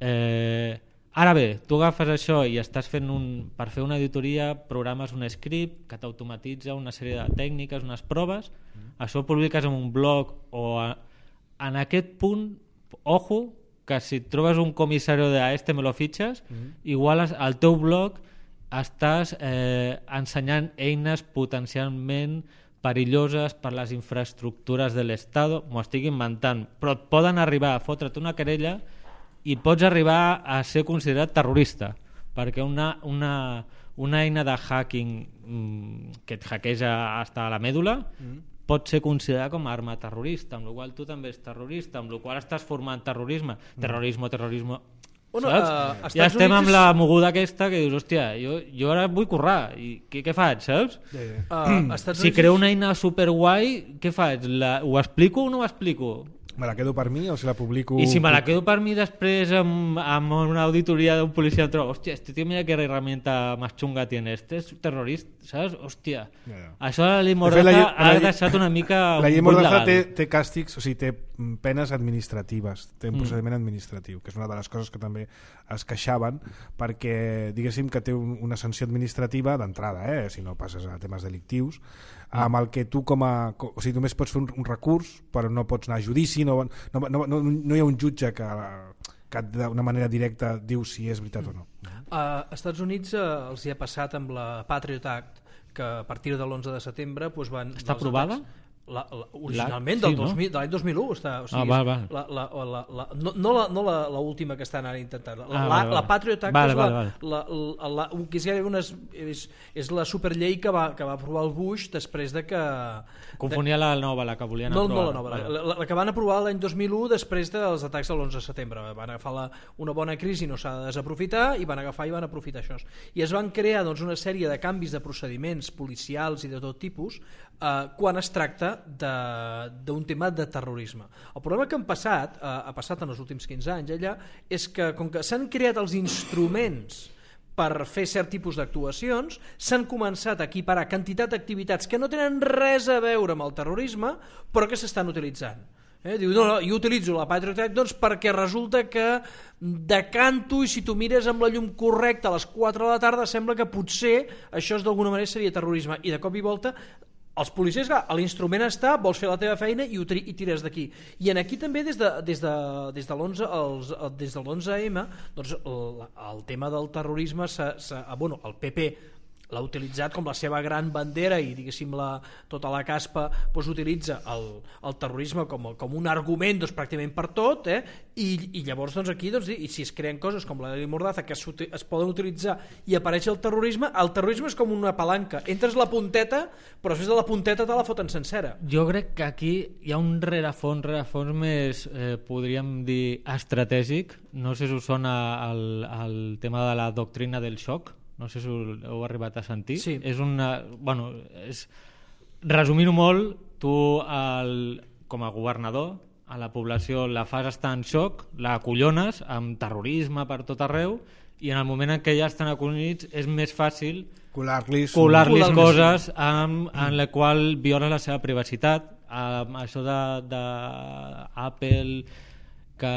Eh, ara bé, tu agafes això i estàs fent un, per fer una auditoria programes un script que t'automatitza una sèrie de tècniques, unes proves, mm. això ho publiques en un blog o a, en aquest punt, ojo, que si et trobes un comissari de a este me lo fitxes, mm. igual al teu blog estàs eh, ensenyant eines potencialment perilloses per les infraestructures de l'Estat, m'ho estic inventant, però et poden arribar a fotre't una querella i pots arribar a ser considerat terrorista, perquè una, una, una eina de hacking mm, que et hackeja fins a la mèdula mm. pot ser considerada com a arma terrorista, amb la qual tu també ets terrorista, amb la qual estàs formant terrorisme, terrorisme, terrorisme... Bueno, saps? Uh, ja estem Units amb és... la moguda aquesta que dius, hòstia, jo, jo ara vull currar i què, què faig, saps? Yeah, yeah. Uh, si Units... creo una eina superguai, què faig? La, ho explico o no ho explico? Me la quedo per mi o si la publico... I si me la quedo per mi després amb, amb una auditoria d'un policia trobo, hòstia, este tío mira que herramienta más chunga tiene, este és terrorista, saps? Hòstia, yeah, yeah. Això la llei Mordaza la, ha la, deixat una mica... La llei Mordaza té, té càstigs, o sigui, té penes administratives, té un mm. procediment administratiu, que és una de les coses que també es queixaven, perquè diguéssim que té un, una sanció administrativa d'entrada, eh? Si no passes a temes delictius, amb el que tu com a... O sigui, només pots fer un, un recurs, però no pots anar a judici, no, no, no, no, no hi ha un jutge que, que d'una manera directa diu si és veritat o no. A Estats Units eh, els hi ha passat amb la Patriot Act, que a partir de l'onze de setembre doncs van... Està aprovada? Atacs, la, la, originalment la, sí, del dos mil, no? de l'any dos mil u està, o sigui, ah, val, val. La, la, la, la, no, no, la, no la, la última que estan ara intentant la, ah, la, val, la Patriot Act val, és, val, la, val. La, la, la, la, que és, una, és, és la superllei que va, que va aprovar el Bush després de que confonia de, la nova, la que volien no, aprovar no la nova, la, la, la que van aprovar l'any dos mil u després dels atacs de l'onze de setembre van agafar la, una bona crisi, no s'ha de desaprofitar i van agafar i van aprofitar això i es van crear doncs, una sèrie de canvis de procediments policials i de tot tipus eh, quan es tracta de d'un tema de terrorisme. El problema que han passat, eh, ha passat en els últims quinze anys allà, és que com que s'han creat els instruments per fer cert tipus d'actuacions, s'han començat a equiparar quantitat d'activitats que no tenen res a veure amb el terrorisme, però que s'estan utilitzant. Eh? Diu, no, no, jo utilitzo la Patriot Act doncs, perquè resulta que decanto i si tu mires amb la llum correcta a les quatre de la tarda sembla que potser això d'alguna manera seria terrorisme i de cop i volta els policies, clar, l'instrument està, vols fer la teva feina i, ho tri i tires d'aquí. I en aquí també des de, des de, des de l'onze els, des de l'onze eme doncs el, el tema del terrorisme s'ha, s'ha, bueno, el P P l'ha utilitzat com la seva gran bandera i diguéssim la, tota la caspa doncs, utilitza el, el terrorisme com, com un argument doncs, pràcticament per tot eh? I, i llavors doncs, aquí doncs, i si es creen coses com la llei Mordaza que es, es poden utilitzar i apareix el terrorisme, el terrorisme és com una palanca, entres la punteta però després de la punteta te la foten sencera. Jo crec que aquí hi ha un rerefons, rerefons més eh, podríem dir estratègic, no sé si us sona el, el tema de la doctrina del xoc, no sé si ho heu arribat a sentir. Sí. És una, bueno, és, resumint-ho molt, tu el, com a governador a la població la fas estar en xoc, la acollones amb terrorisme per tot arreu i en el moment en què ja estan acollonits és més fàcil colar-lis colar-lis coses amb, en la qual viola la seva privacitat. Amb això de, de Apple que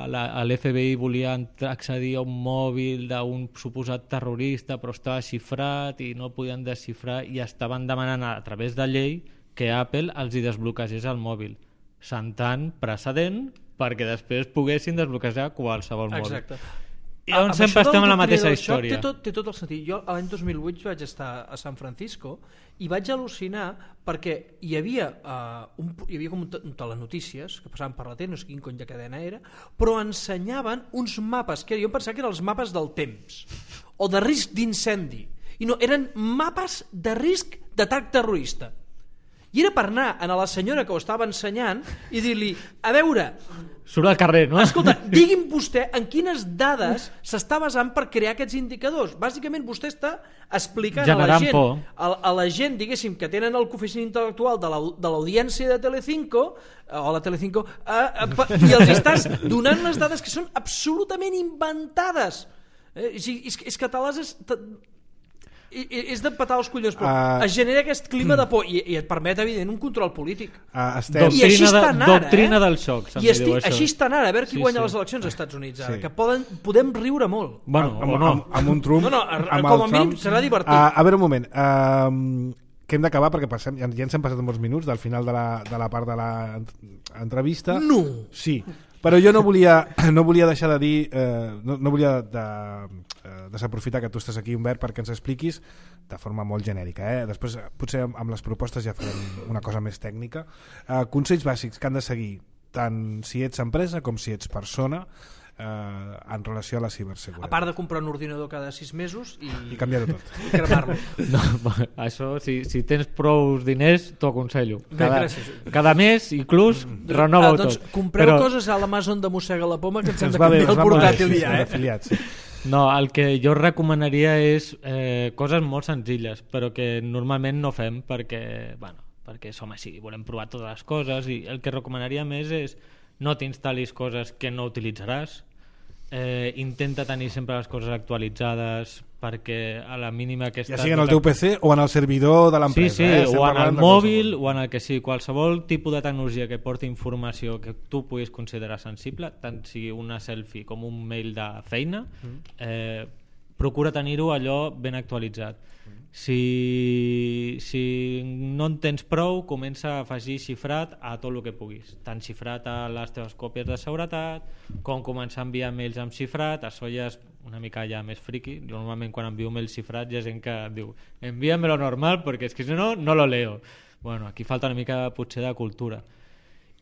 l'F B I volia accedir a un mòbil d'un suposat terrorista però estava xifrat i no podien desxifrar i estaven demanant a través de llei que Apple els hi desbloquegés el mòbil, sentant precedent perquè després poguessin desbloquejar qualsevol mòbil. Exacte. I on sempre estem en la mateixa història. Té tot, té tot el sentit. Jo l'any dos mil vuit vaig estar a San Francisco i vaig al·lucinar perquè hi havia, uh, un, hi havia com un, un telenotícies que passaven per la tele, no sé quin cony de cadena era, però ensenyaven uns mapes, que jo em pensava que eren els mapes del temps o de risc d'incendi. I no, eren mapes de risc d'atac terrorista. I era per anar a la senyora que ho estava ensenyant i dir-li, a veure... Surt al carrer, no? Escolta, digui'm vostè en quines dades s'està basant per crear aquests indicadors. Bàsicament vostè està explicant generant a la gent, por. A, a la gent, diguéssim, que tenen el coeficient intel·lectual de l'audiència de Telecinco, o la Telecinco, eh, eh, i els estàs donant les dades que són absolutament inventades. Eh, és, és, és que te les... És, te, és de patar els collons, però uh, es genera aquest clima de por i, i et permet evident un control polític. Uh, estem... I així estan ara, doctrina eh? del xoc, I esti, així estan ara, a veure qui sí, guanya sí. les eleccions als Estats Units ara, sí. que poden, podem riure molt. Bueno, amb, o no. Amb, amb un Trump, no, no, amb com a mínim serà divertit. Uh, a veure un moment, uh, que hem d'acabar perquè passem, ja, ja ens hem passat molts minuts del final de la, de la part de l'entrevista. No! Sí, però jo no volia, no volia deixar de dir, eh, no, no volia de, eh, desaprofitar que tu estàs aquí, Humbert, perquè ens expliquis de forma molt genèrica. Eh? Després, potser amb les propostes ja farem una cosa més tècnica. Eh, consells bàsics que han de seguir tant si ets empresa com si ets persona eh, en relació a la ciberseguretat. A part de comprar un ordinador cada sis mesos i, I canviar-ho tot. I cremar-lo. No, això, si, si tens prou diners, t'ho aconsello. Cada, gràcies. cada mes, inclús, renova-ho ah, doncs, tot. compreu Però... coses a l'Amazon de Mossega la Poma que ens hem de va bé, canviar el ens va molt bé, portàtil sí, ja, sí, eh? afiliats, sí. No, el que jo recomanaria és eh, coses molt senzilles, però que normalment no fem perquè, bueno, perquè som així, volem provar totes les coses, i el que recomanaria més és no t'instal·lis coses que no utilitzaràs, eh, intenta tenir sempre les coses actualitzades perquè a la mínima que ja sigui en el teu P C o en el servidor de l'empresa. Sí, sí, eh? o en el mòbil o en el que sigui, qualsevol tipus de tecnologia que porti informació que tu puguis considerar sensible, tant sigui una selfie com un mail de feina, eh, procura tenir-ho allò ben actualitzat. Si, si no en tens prou, comença a afegir xifrat a tot el que puguis, tant xifrat a les teves còpies de seguretat com començar a enviar mails amb xifrat. Això ja és una mica ja més friqui. Jo normalment quan envio mails xifrats hi ha gent que diu envíamelo normal perquè és que si no, no lo leo. Bueno, aquí falta una mica potser de cultura.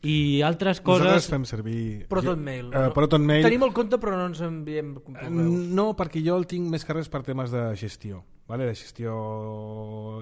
I altres coses... Nosaltres fem servir... ProtonMail. Uh, ProtonMail. Tenim el compte però no ens enviem correus. No, perquè jo el tinc més que res per temes de gestió, vale? De gestió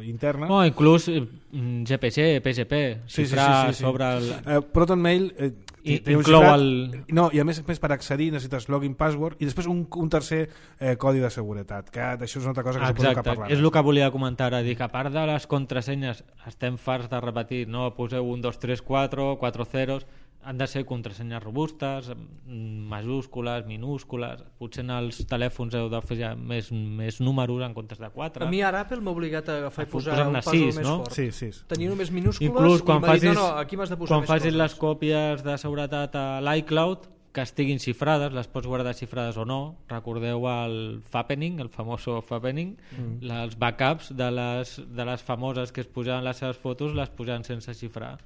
interna. No, inclús G P G, P G P, sí, xifrar sí, sí, sí, sí. sobre el... Uh, ProtonMail... Eh, I, té un inclou xifrat, el... No, i a més, més per accedir necessites login, password i després un, un tercer eh, codi de seguretat, que d'això és una altra cosa que Exacte, suposo que parlarem. és el que volia comentar ara, dic, a part de les contrasenyes estem farts de repetir, no poseu un, dos, tres, quatre, quatre zeros, han de ser contrasenyes robustes, majúscules, minúscules, potser en els telèfons heu de fer ja més, més números en comptes de quatre. A mi ara Apple m'ha obligat a agafar i posar un pas sis, més no? fort. Sí, sí. Tenia només minúscules inclús quan i m'ha dit, facis, no, no, aquí m'has de posar quan més facis coses. les còpies de seguretat a l'iCloud, que estiguin xifrades, les pots guardar xifrades o no. Recordeu el Fappening, el famoso Fappening, mm. els backups de les, de les famoses que es posaven les seves fotos, les posaven sense xifrar.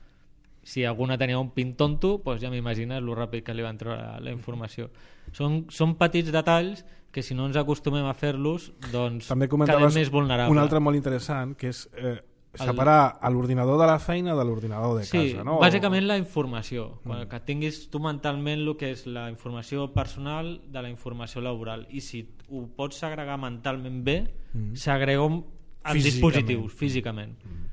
Si alguna tenia un pin tonto, doncs ja m'imagines el ràpid que li van treure la informació. Són, són petits detalls que si no ens acostumem a fer-los, doncs quedem més vulnerables. Un altre molt interessant, que és eh, separar el... l'ordinador de la feina de l'ordinador de casa. Sí, no? bàsicament la informació. Mm. Que tinguis tu mentalment el que és la informació personal de la informació laboral. I si ho pots segregar mentalment bé, mm. segrega en dispositius, físicament. Mm.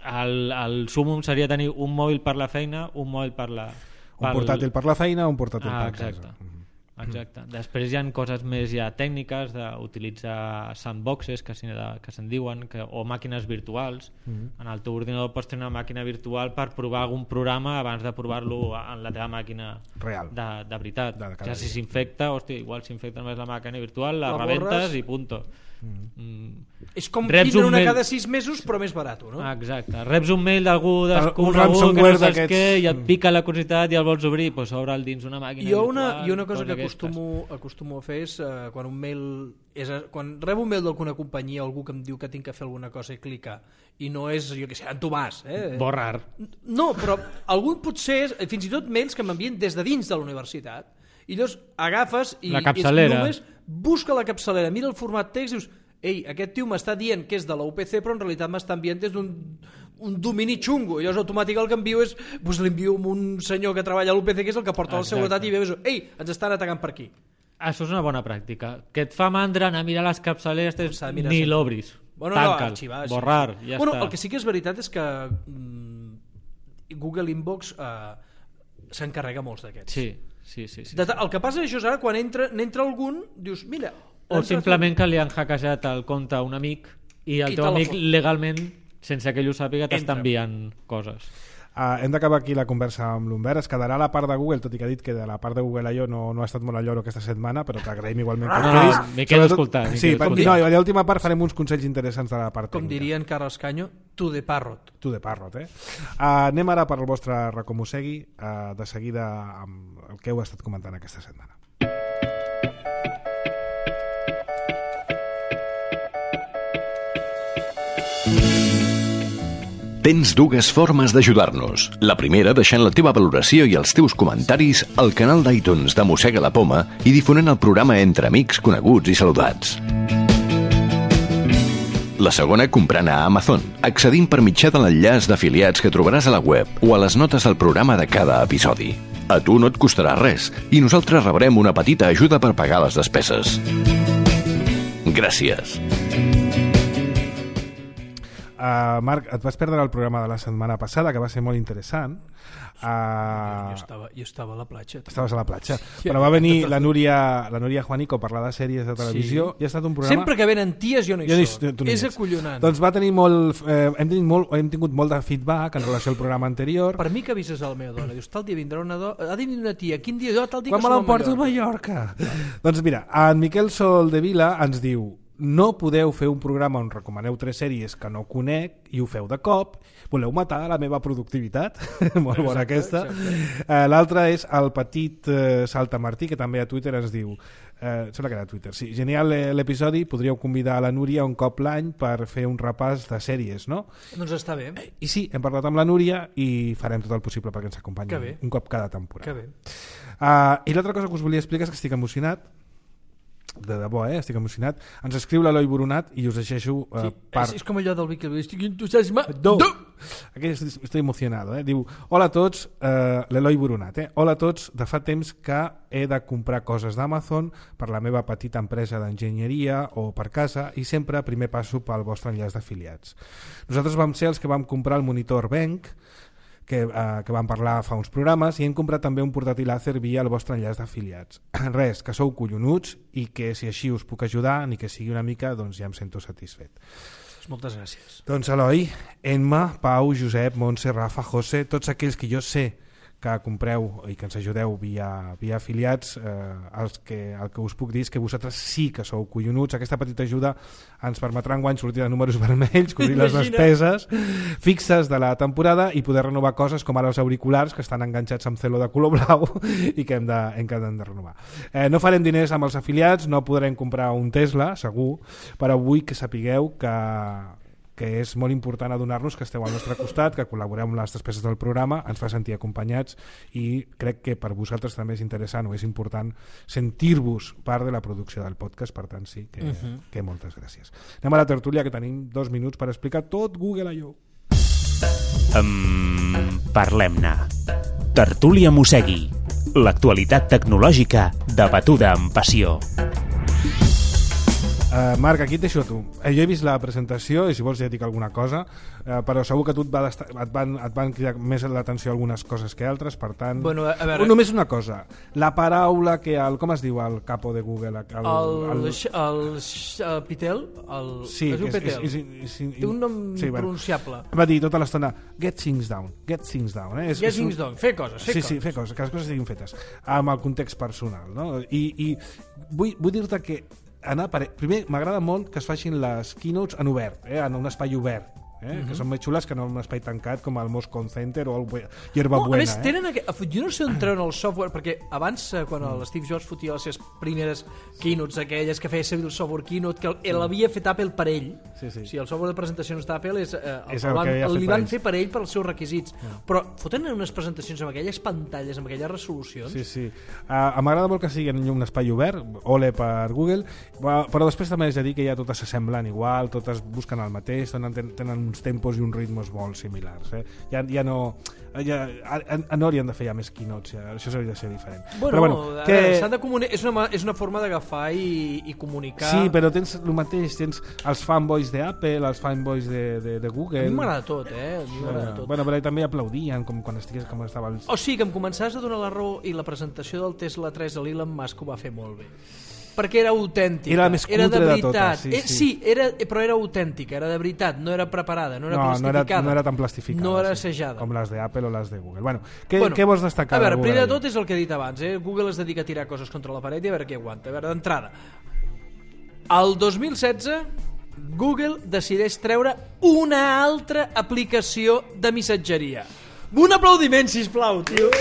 El, el súmum seria tenir un mòbil per la feina, un mòbil per la... Per... Un portàtil per la feina, un portàtil ah, per exacte. casa. Mm. Exacte. Després hi ha coses més ja tècniques d'utilitzar sandboxes que se'n se diuen, que, o màquines virtuals. Mm. En el teu ordinador pots tenir una màquina virtual per provar algun programa abans de provar-lo en la teva màquina real, de, de veritat. de que si s'infecta, hòstia, igual s'infecta només la màquina virtual, la, la rebentes i punto. Mm. Mm. És com Reps tindre una mail... cada sis mesos però més barat, no? Ah, exacte. Reps un mail d'algú desconegut que no saps què i et pica la curiositat i el vols obrir, doncs obre'l dins una màquina jo virtual. Una, i una cosa que acostumo, acostumo a fer és uh, quan un mail és a, quan rebo un mail d'alguna companyia o algú que em diu que tinc que fer alguna cosa i clicar i no és, jo què sé, en Tomàs eh? Borrar. No, però algun potser és, fins i tot mails que m'envien des de dins de la universitat i llavors agafes i, la capçalera. i només busca la capçalera, mira el format text i dius, ei, aquest tio m'està dient que és de la U P C però en realitat m'està enviant des d'un un domini xungo, i llavors automàtic el que envio és doncs l'envio a un senyor que treballa a l'U P C que és el que porta la seguretat i veus, ei, ens estan atacant per aquí. Això és una bona pràctica, que et fa mandra anar a mirar les capçaleres ni sempre. L'obris, bueno, tanca'l, no, arxivar, borrar, sí. ja bueno, està. El que sí que és veritat és que mm, Google Inbox eh, s'encarrega molts d'aquests. Sí, sí, sí, sí. De, el que passa és això, ara quan entra, n'entra algun dius, mira... O simplement que li han hackejat el compte a un amic i el I teu amic legalment, sense que ell ho sàpiga, t'està enviant coses. Uh, hem d'acabar aquí la conversa amb l'Humbert. Es quedarà a la part de Google, tot i que ha dit que de la part de Google jo no, no ha estat molt al lloro aquesta setmana, però t'agraïm igualment que no, no, m'he quedat escoltant. Sí, no, i a l'última part farem uns consells interessants de la part com tècnica. Dirien Carles Canyo, to the parrot. To the parrot, eh? Uh, anem ara per el vostre recomosegui, uh, de seguida amb el que heu estat comentant aquesta setmana. Tens dues formes d'ajudar-nos. La primera, deixant la teva valoració i els teus comentaris al canal d'iTunes de Mossega la Poma i difonent el programa entre amics, coneguts i saludats. La segona, comprant a Amazon, accedint per mitjà de l'enllaç d'afiliats que trobaràs a la web o a les notes del programa de cada episodi. A tu no et costarà res i nosaltres rebrem una petita ajuda per pagar les despeses. Gràcies. Uh, Marc, et vas perdre el programa de la setmana passada, que va ser molt interessant. Uh, jo, estava, jo estava a la platja. Estaves a la platja. Sí, però va venir la Núria, la Núria Juanico a parlar de sèries de televisió sí. i ha estat un programa... Sempre que venen ties jo no hi jo soc. No és acollonant. Doncs va tenir molt... Eh, hem, tenit molt hem tingut molt de feedback en relació al programa anterior. Per mi que avises a la meva dona. Dius, tal dia vindrà una dona... Ha de venir una tia. Quin dia? Jo, tal dia Quan que me l'emporto a Mallorca. Doncs mira, en Miquel Sol de Vila ens diu: no podeu fer un programa on recomaneu tres sèries que no conec i ho feu de cop, voleu matar la meva productivitat. Molt exacte, bona aquesta. Uh, l'altra és el petit uh, Saltamartí, que també a Twitter ens diu, uh, sembla que era a Twitter, sí, genial l'episodi, podríeu convidar a la Núria un cop l'any per fer un repàs de sèries, no? Doncs està bé. I sí, hem parlat amb la Núria i farem tot el possible perquè ens acompanyi un cop cada temporada. Que bé. Uh, I l'altra cosa que us volia explicar és que estic emocionat, de debò, eh? Estic emocionat. Ens escriu l'Eloi Boronat i us deixeixo uh, sí, per... és, és com allò del Vicky, estic entusiasmat. Do. Aquí estic emocionado, eh? Diu, hola a tots, uh, l'Eloi Boronat, eh? Hola a tots, de fa temps que he de comprar coses d'Amazon per la meva petita empresa d'enginyeria o per casa i sempre primer passo pel vostre enllaç d'afiliats. Nosaltres vam ser els que vam comprar el monitor Benq, que, eh, que vam parlar fa uns programes, i hem comprat també un portàtil Acer via el vostre enllaç d'afiliats. Res, que sou collonuts i que si així us puc ajudar, ni que sigui una mica, doncs ja em sento satisfet. Moltes gràcies. Doncs Eloi, Emma, Pau, Josep, Montse, Rafa, José, tots aquells que jo sé que compreu i que ens ajudeu via, via afiliats, eh, els que, el que us puc dir és que vosaltres sí que sou collonuts. Aquesta petita ajuda ens permetrà enguany sortir de números vermells, cobrir les despeses fixes de la temporada i poder renovar coses com ara els auriculars que estan enganxats amb celo de color blau i que hem de, hem de, hem de renovar. Eh, no farem diners amb els afiliats, no podrem comprar un Tesla, segur, però vull que sapigueu que que és molt important adonar-nos que esteu al nostre costat, que col·laboreu amb les despeses del programa, ens fa sentir acompanyats i crec que per vosaltres també és interessant o és important sentir-vos part de la producció del podcast, per tant sí, que, uh-huh. que moltes gràcies. Anem a la tertúlia, que tenim dos minuts per explicar tot Google I O. Um, Parlem-ne. Tertúlia Mossegui. L'actualitat tecnològica debatuda amb passió. Uh, Marc, aquí et deixo a tu. Eh, jo he vist la presentació i si vols ja dic alguna cosa, uh, però segur que tu et, va desta- et, van, et van cridar més l'atenció algunes coses que altres, per tant... Bueno, a veure... Només una cosa, la paraula que... El, com es diu el capo de Google? El, el, el, el, el, el Pitel? El, sí, es diu Pitel. És, és, és, és, té un nom sí, pronunciable. Va dir tota l'estona, get things down, get things down. Eh? És, get és things un... down, fer coses, fer sí, coses. Sí, fer coses, que les coses siguin fetes, amb el context personal. No? I, i vull, vull dir-te que anar per... primer m'agrada molt que es facin les keynotes en obert, eh? En un espai obert, eh? Uh-huh. Que són més xules que no en un espai tancat com el Moscone Center o el Yerba no, Buena. A més, eh? tenen aquest... jo no sé on treuen el software, perquè abans, quan el Steve Jobs fotia les seves primeres keynotes aquelles que feia servir el software keynote, que l'havia fet Apple per ell, sí, sí. O sigui, el software de presentacions d'Apple és, eh, és el, el van, el li per van ells. fer per ell pels seus requisits, mm. però foten unes presentacions amb aquelles pantalles, amb aquelles resolucions. Sí, sí. Uh, m'agrada molt que sigui en un espai obert, ole per Google, però després també és a dir que ja totes s'assemblen igual, totes busquen el mateix, tenen, tenen uns tempos i uns ritmes molt similars. Eh? Ja, ja no... Ja, a, no haurien de fer ja més keynotes, ja, això s'hauria de ser diferent. Bueno, però bueno que... veure, de comuni... és, una, és una forma d'agafar i, i comunicar. Sí, però tens el mateix, tens els fanboys d'Apple, els fanboys de, de, de Google. A mi m'agrada tot, eh? A mi m'agrada bueno, tot. Bueno, però també aplaudien com quan estigués com estava el... O sigui, que em començaves a donar la raó i la presentació del Tesla tres a l'Elon Musk ho va fer molt bé. Perquè era autèntica, era la més cutre era de veritat. De totes, sí, eh, sí. sí era, però era autèntica, era de veritat, no era preparada, no era no, plastificada. No era, no era tan plastificada. No era sí, assajada. Com les d'Apple o les de Google. Bueno, què, bueno, què vols destacar? A veure, de primer de tot és el que he dit abans, eh? Google es dedica a tirar coses contra la paret i a veure què aguanta. A veure, d'entrada, el dos mil setze Google decideix treure una altra aplicació de missatgeria. Un aplaudiment, sisplau, tio.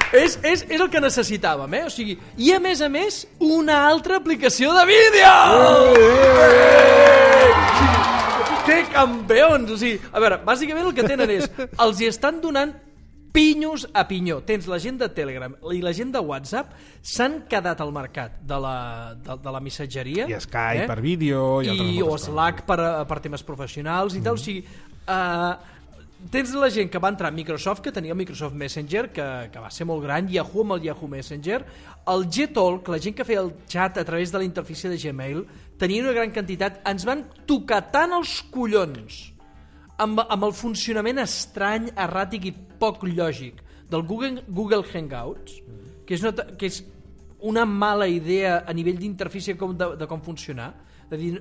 És, és, és el que necessitàvem, eh? O sigui, i a més a més, una altra aplicació de vídeo! Que campions! O sigui, a veure, bàsicament el que tenen és, els hi estan donant pinyos a pinyó. Tens la gent de Telegram i la gent de WhatsApp s'han quedat al mercat de la, de, de la missatgeria. I Skype eh? per vídeo. I, I o Slack per, per temes professionals i mm. tal. O sigui, uh, tens la gent que va entrar a Microsoft, que tenia el Microsoft Messenger, que, que va ser molt gran, Yahoo amb el Yahoo Messenger, el Gtalk, la gent que feia el chat a través de la interfície de Gmail, tenia una gran quantitat, ens van tocar tant els collons amb, amb el funcionament estrany, erràtic i poc lògic del Google, Google Hangouts, que és, una, que és una mala idea a nivell d'interfície com de, de com funcionar, de dir,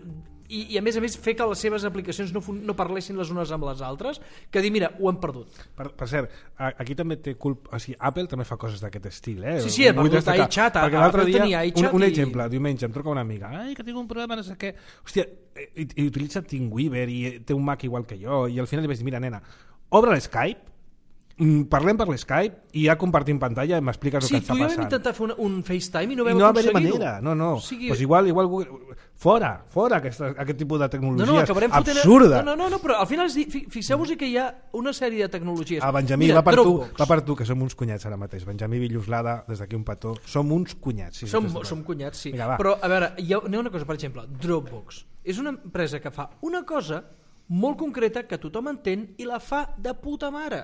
i, i a més a més fer que les seves aplicacions no, no parlessin les unes amb les altres, que dir, mira, ho hem perdut. Per, per cert, aquí també té culpa, o sigui, Apple també fa coses d'aquest estil, eh? Sí, sí, he perdut iChat, perquè l'altre dia, un, un i... exemple, diumenge em truca una amiga, ai, que tinc un problema, no sé què, hòstia, i, i utilitza TeamWeaver i té un Mac igual que jo, i al final li vaig dir, mira, nena, obre l'Skype, parlem per l'Skype i ja compartim pantalla i m'expliques sí, el que està passant. Sí, tu i jo vam intentar fer un, un FaceTime i no vam I no aconseguir-ho. manera, no, no. O sigui... pues igual, igual Google... fora, fora aquesta, aquest tipus de tecnologies no, no, absurda. No, no, no, però al final fixeu-vos que hi ha una sèrie de tecnologies. Ah, Benjamí, Mira, va, per tu, va per tu, que som uns cunyats ara mateix. Benjamí Villuslada, des d'aquí un petó, som uns cunyats. Sí, som, som cunyats, sí. Vinga, però, a veure, hi ha, hi ha una cosa, per exemple, Dropbox. És una empresa que fa una cosa molt concreta que tothom entén i la fa de puta mare.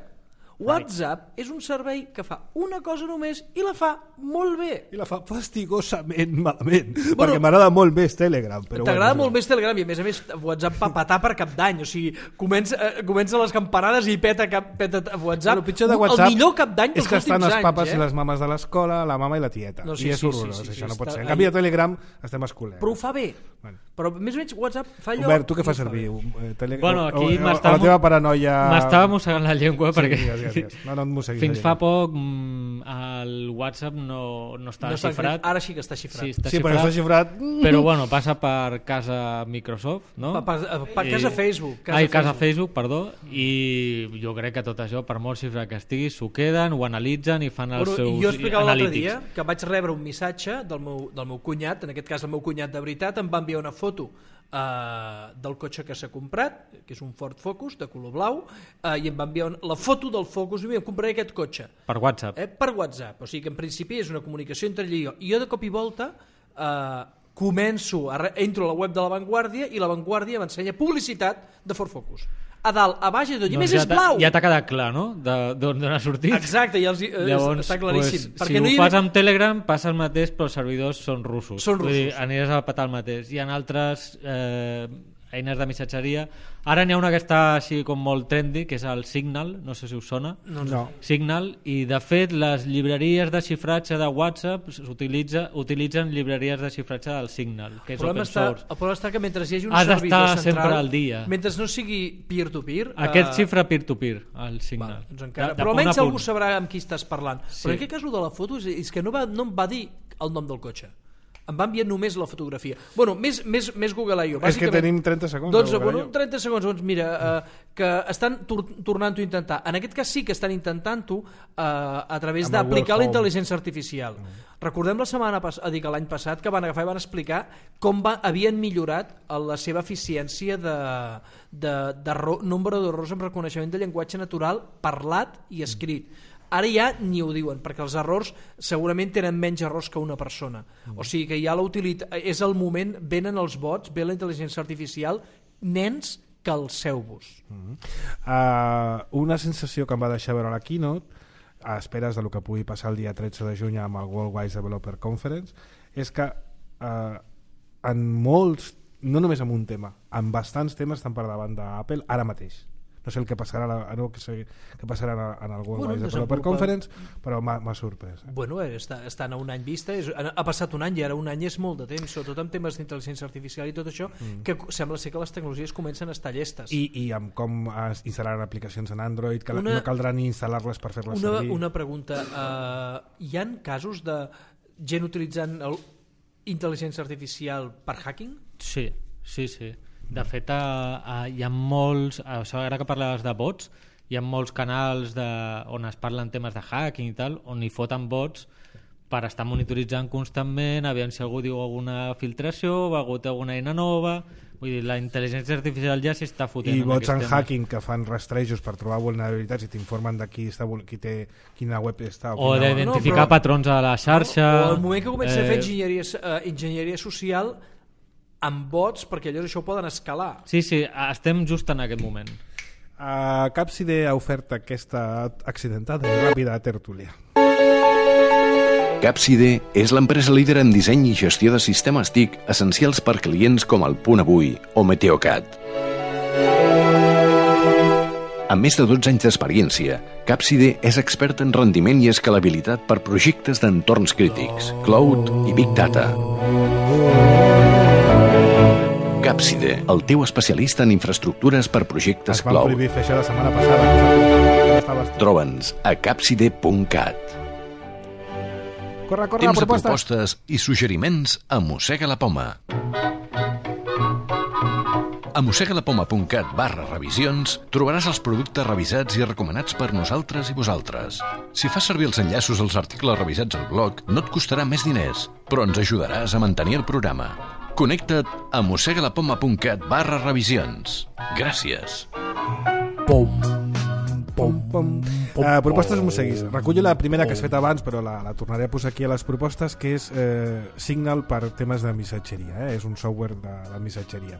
WhatsApp és un servei que fa una cosa només i la fa molt bé. I la fa fastigosament malament, bueno, perquè m'agrada molt més Telegram. T'agrada bueno, molt més Telegram i a més a més WhatsApp va patar per cap d'any, o sigui, comença, eh, comença les campanades i peta, cap, peta WhatsApp. Bueno, el pitjor de WhatsApp el millor cap d'any dels és que estan els papes anys, eh? i les mames de l'escola, la mama i la tieta. No, sí, I és sí, horrorós, sí, sí, això sí, no pot ser. En canvi a Telegram estem escolent. Però ho fa bé. Bueno. Però més o menys WhatsApp fa allò... Albert, tu què fas servir? Tele... Bueno, aquí o, o, o la teva paranoia... M'estava mossegant la llengua sí, perquè... Digues, digues. No, no et fins fa poc mm, el WhatsApp no, no estava no xifrat. Ara sí que està xifrat. Sí, està sí xifrat, però està xifrat. Però bueno, passa per casa Microsoft, no? Per, per, per casa I... Facebook. Casa Ai, casa Facebook, Facebook, perdó. I jo crec que tot això, per molt xifrat que estigui, s'ho queden, ho analitzen i fan els bueno, seus jo explicava l'altre analítics. dia que vaig rebre un missatge del meu, del meu cunyat, en aquest cas el meu cunyat de veritat, em va enviar una foto Uh, del cotxe que s'ha comprat, que és un Ford Focus de color blau, uh, i em va enviar un, la foto del Focus i em compraré aquest cotxe per WhatsApp. Eh, per WhatsApp, o sigui que en principi és una comunicació entre ell i jo, i jo de cop i volta uh, començo a re... entro a la web de La Vanguardia i La Vanguardia m'ensenya publicitat de Ford Focus a dalt, a baix i tot, i doncs més ja és blau. Ja t'ha quedat clar, no? D'on ha sortit. Exacte, ja els, eh, llavors, està claríssim. Pues, perquè si no ho hi... fas amb Telegram passa el mateix, però els servidors són russos. Són russos. Vull dir, aniràs a patar el mateix. Hi ha altres eh, eines de missatgeria. Ara n'hi ha una que està així com molt trendy, que és el Signal, no sé si us sona. No, no. Signal, i de fet les llibreries de xifratge de WhatsApp utilitza, utilitzen llibreries de xifratge del Signal, que és open està, source. El problema està que mentre hi hagi un has servidor central, sempre al dia. Mentre no sigui peer-to-peer... Aquest uh... xifra peer-to-peer, el Signal. Va, doncs encara, de, de però almenys algú sabrà amb qui estàs parlant. Sí. Però en aquest cas de la foto és, és que no, va, no em va dir el nom del cotxe. Em va enviar només la fotografia. Bueno, més, més, més Google I O. És que tenim trenta segons. Doncs, bueno, trenta segons, doncs mira, eh, que estan tor tornant-ho a intentar. En aquest cas sí que estan intentant-ho eh, a través d'aplicar la intel·ligència artificial. Mm. Recordem la setmana passada, dic l'any passat, que van agafar i van explicar com va, havien millorat la seva eficiència de, de, de nombre d'errors amb reconeixement de llenguatge natural parlat i escrit. Mm. Ara ja ni ho diuen, perquè els errors segurament tenen menys errors que una persona. Mm. O sigui que ja la utilitat, és el moment, venen els bots, ve la intel·ligència artificial, nens, calceu-vos. Mm. Uh, una sensació que em va deixar veure a la Keynote, a esperes del que pugui passar el dia tretze de juny amb el Worldwide Developer Conference, és que uh, en molts, no només en un tema, en bastants temes estan per davant d'Apple ara mateix. No sé el que passarà, no, que, sé, que passarà en el World Wide Developer bueno, Conference, però m'ha sorprès. Eh? Bueno, està, estan a un any vista, és, ha passat un any i ara un any és molt de temps, sobretot en temes d'intel·ligència artificial i tot això, mm. que sembla ser que les tecnologies comencen a estar llestes. I, i amb com es instal·laran aplicacions en Android, que una, no caldrà ni instal·lar-les per fer-les una, servir. Una pregunta, uh, hi ha casos de gent utilitzant el, intel·ligència artificial per hacking? Sí, sí, sí. De fet, a, a, hi ha molts, això ara que parlaves de bots, hi ha molts canals de, on es parlen temes de hacking i tal, on hi foten bots per estar monitoritzant constantment, aviam si algú diu alguna filtració o ha hagut alguna eina nova. Vull dir, la intel·ligència artificial ja s'hi està fotent. I bots en hacking que fan rastrejos per trobar vulnerabilitats i t'informen de qui està, qui té, quina web està. O, o d'identificar no, però... patrons a la xarxa. O, o al moment que comença eh... a fer enginyeria, uh, enginyeria social amb bots, perquè llavors això ho poden escalar. Sí, sí, estem just en aquest moment. Uh, Capside ha ofert aquesta accidentada i ràpida tertúlia. Capside és l'empresa líder en disseny i gestió de sistemes T I C essencials per clients com el Punt Avui o Meteocat. Amb més de dotze anys d'experiència, Capside és expert en rendiment i escalabilitat per projectes d'entorns crítics, cloud i big data. Capside, el teu especialista en infraestructures per projectes Es van cloud. prohibir fer això la setmana passada. Estaves... Troba'ns a capside punt cat. Corre, corre, Temps de proposta. propostes i suggeriments a Mossega la Poma. A mossegalapoma.cat barra revisions trobaràs els productes revisats i recomanats per nosaltres i vosaltres. Si fas servir els enllaços als articles revisats al blog, no et costarà més diners, però ens ajudaràs a mantenir el programa. Connecta't a mossegalapoma.cat barra revisions. Gràcies. Pum, pum, pum. Uh, propostes mosseguis. Recullo la primera que has fet abans, però la, la tornaré a posar aquí a les propostes, que és eh, Signal per temes de missatgeria. Eh? És un software de, de missatgeria.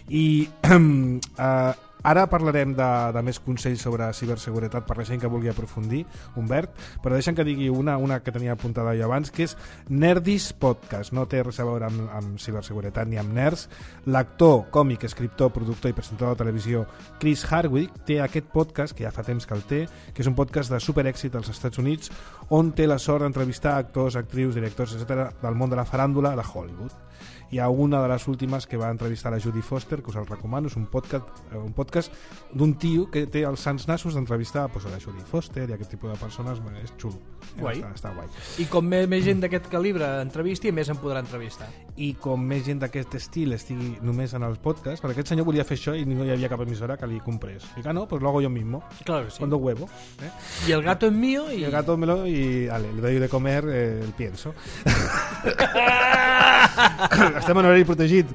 I eh, ara parlarem de, de més consells sobre ciberseguretat per la gent que vulgui aprofundir, Humbert, però deixa'm que digui una, una que tenia apuntada jo abans, que és Nerdis Podcast. No té res a veure amb, amb ciberseguretat ni amb nerds. L'actor, còmic, escriptor, productor i presentador de televisió Chris Hardwick té aquest podcast, que ja fa temps que el té, que és un podcast de superèxit als Estats Units, on té la sort d'entrevistar actors, actrius, directors, etcètera del món de la faràndula de Hollywood. Hi ha una de les últimes que va entrevistar la Judy Foster, que us el recomano, és un podcast, un podcast d'un tio que té els sants nassos d'entrevistar pues, a la Judy Foster i aquest tipus de persones. És xulo, Guai. Està, està guai. I com més, més gent d'aquest calibre entrevisti, més en podrà entrevistar. I com més gent d'aquest estil estigui només en els podcasts, perquè aquest senyor volia fer això i no hi havia cap emissora que li comprés. I que no, pues lo hago yo mismo. Claro que sí. Cuando huevo. ¿eh? Y el gato es mío y... Y el gato me lo... y vale, le doy de comer eh, el pienso. Estem en horari protegit,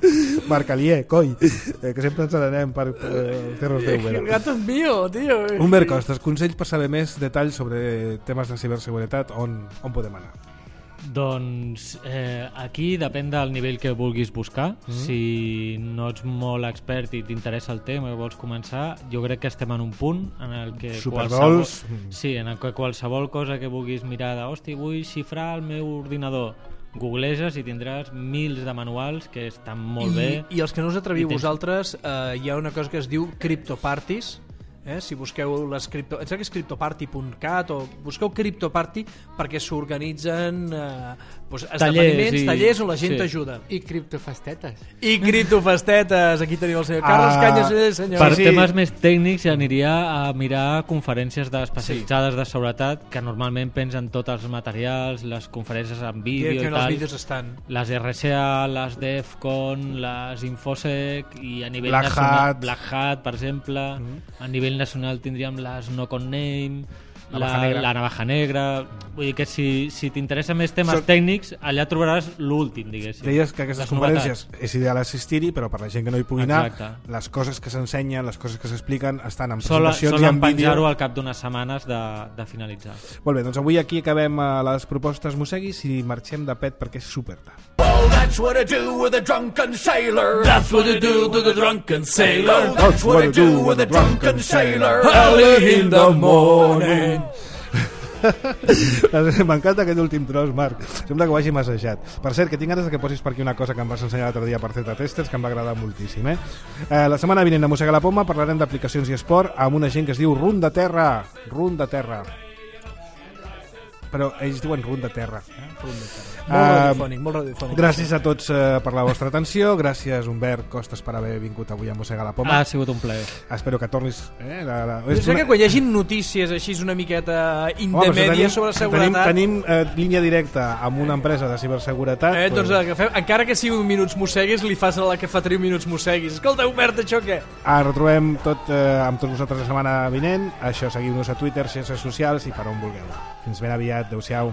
Marc Alier, coi, eh, que sempre ens n'anem per eh, terres de El gato es mío, tío. Humbert Costas, consells per saber més detalls sobre temes de ciberseguretat, on, on podem anar? Doncs eh, aquí depèn del nivell que vulguis buscar. Mm. Si no ets molt expert i t'interessa el tema i vols començar, jo crec que estem en un punt en el que Superbols. qualsevol, sí, en el que qualsevol cosa que vulguis mirar de, hosti, vull xifrar el meu ordinador, googleges i tindràs mils de manuals que estan molt I, bé. I els que no us atreviu tens... vosaltres, eh, hi ha una cosa que es diu CryptoParties. Eh? Si busqueu les cripto... Em sembla que és cryptoparty punt cat o busqueu CryptoParty perquè s'organitzen eh, doncs, esdeveniments, i... tallers on la gent sí. t'ajuda. I criptofestetes. I criptofestetes. Aquí tenim el senyor Carles Ah, Canyes, eh, senyor. Per Sí, sí. temes més tècnics aniria a mirar conferències especialitzades de seguretat que normalment pengen tots els materials, les conferències en vídeo que i en els tal. vídeos estan. Les R S A, les DEFCON, les Infosec i a nivell Black nacional, Hat. Black Hat, per exemple. Mm. A nivell nacional tindríem les No Con Name, Navaja la, Negra. la Navaja Negra. Vull dir que si, si t'interessa més temes So- tècnics, allà trobaràs l'últim, diguéssim. Deies que aquestes Les conferències novetats. és ideal assistir-hi, però per la gent que no hi pugui anar, Exacte. les coses que s'ensenyen, les coses que s'expliquen estan en Sol, presentacions i solen en vídeo. penjar-ho al cap d'unes setmanes de, de finalitzar. Molt bé, doncs avui aquí acabem eh, les propostes mosseguis i marxem de pet perquè és super tard. Well, that's what I do with a drunken sailor. That's what I do to the drunken sailor. Oh, that's what I do with a drunken sailor. Early in the morning. M'encanta aquest últim tros, Marc. Sembla que ho hagi massejat. Per cert, que tinc ganes de que posis per aquí una cosa que em vas ensenyar l'altre dia per Zeta Testers, que em va agradar moltíssim. Eh? Eh, la setmana vinent a Mossega la Poma parlarem d'aplicacions i esport amb una gent que es diu Run de Terra. Run de Terra. Però ells diuen Run de Terra. Eh? Run de Terra. Molt radiofònic, molt radiofònic. Gràcies a tots eh, per la vostra atenció. Gràcies, Humbert Costas, per haver vingut avui a Mossega la Poma. Ha sigut un plaer. Espero que tornis... Eh, la, la... Jo sé que quan hi hagi notícies així una miqueta intermèdia sobre seguretat... Tenim, tenim eh, línia directa amb una empresa de ciberseguretat. Eh, doncs però... agafem, encara que sigui un minuts mosseguis, li fas a la que fa tres minuts mosseguis. Escolta, Humbert, això què? Ah, retrobem tot, eh, amb tots vosaltres la setmana vinent. Això, seguiu-nos a Twitter, xarxes socials i per on vulgueu. Fins ben aviat. Adéu-siau.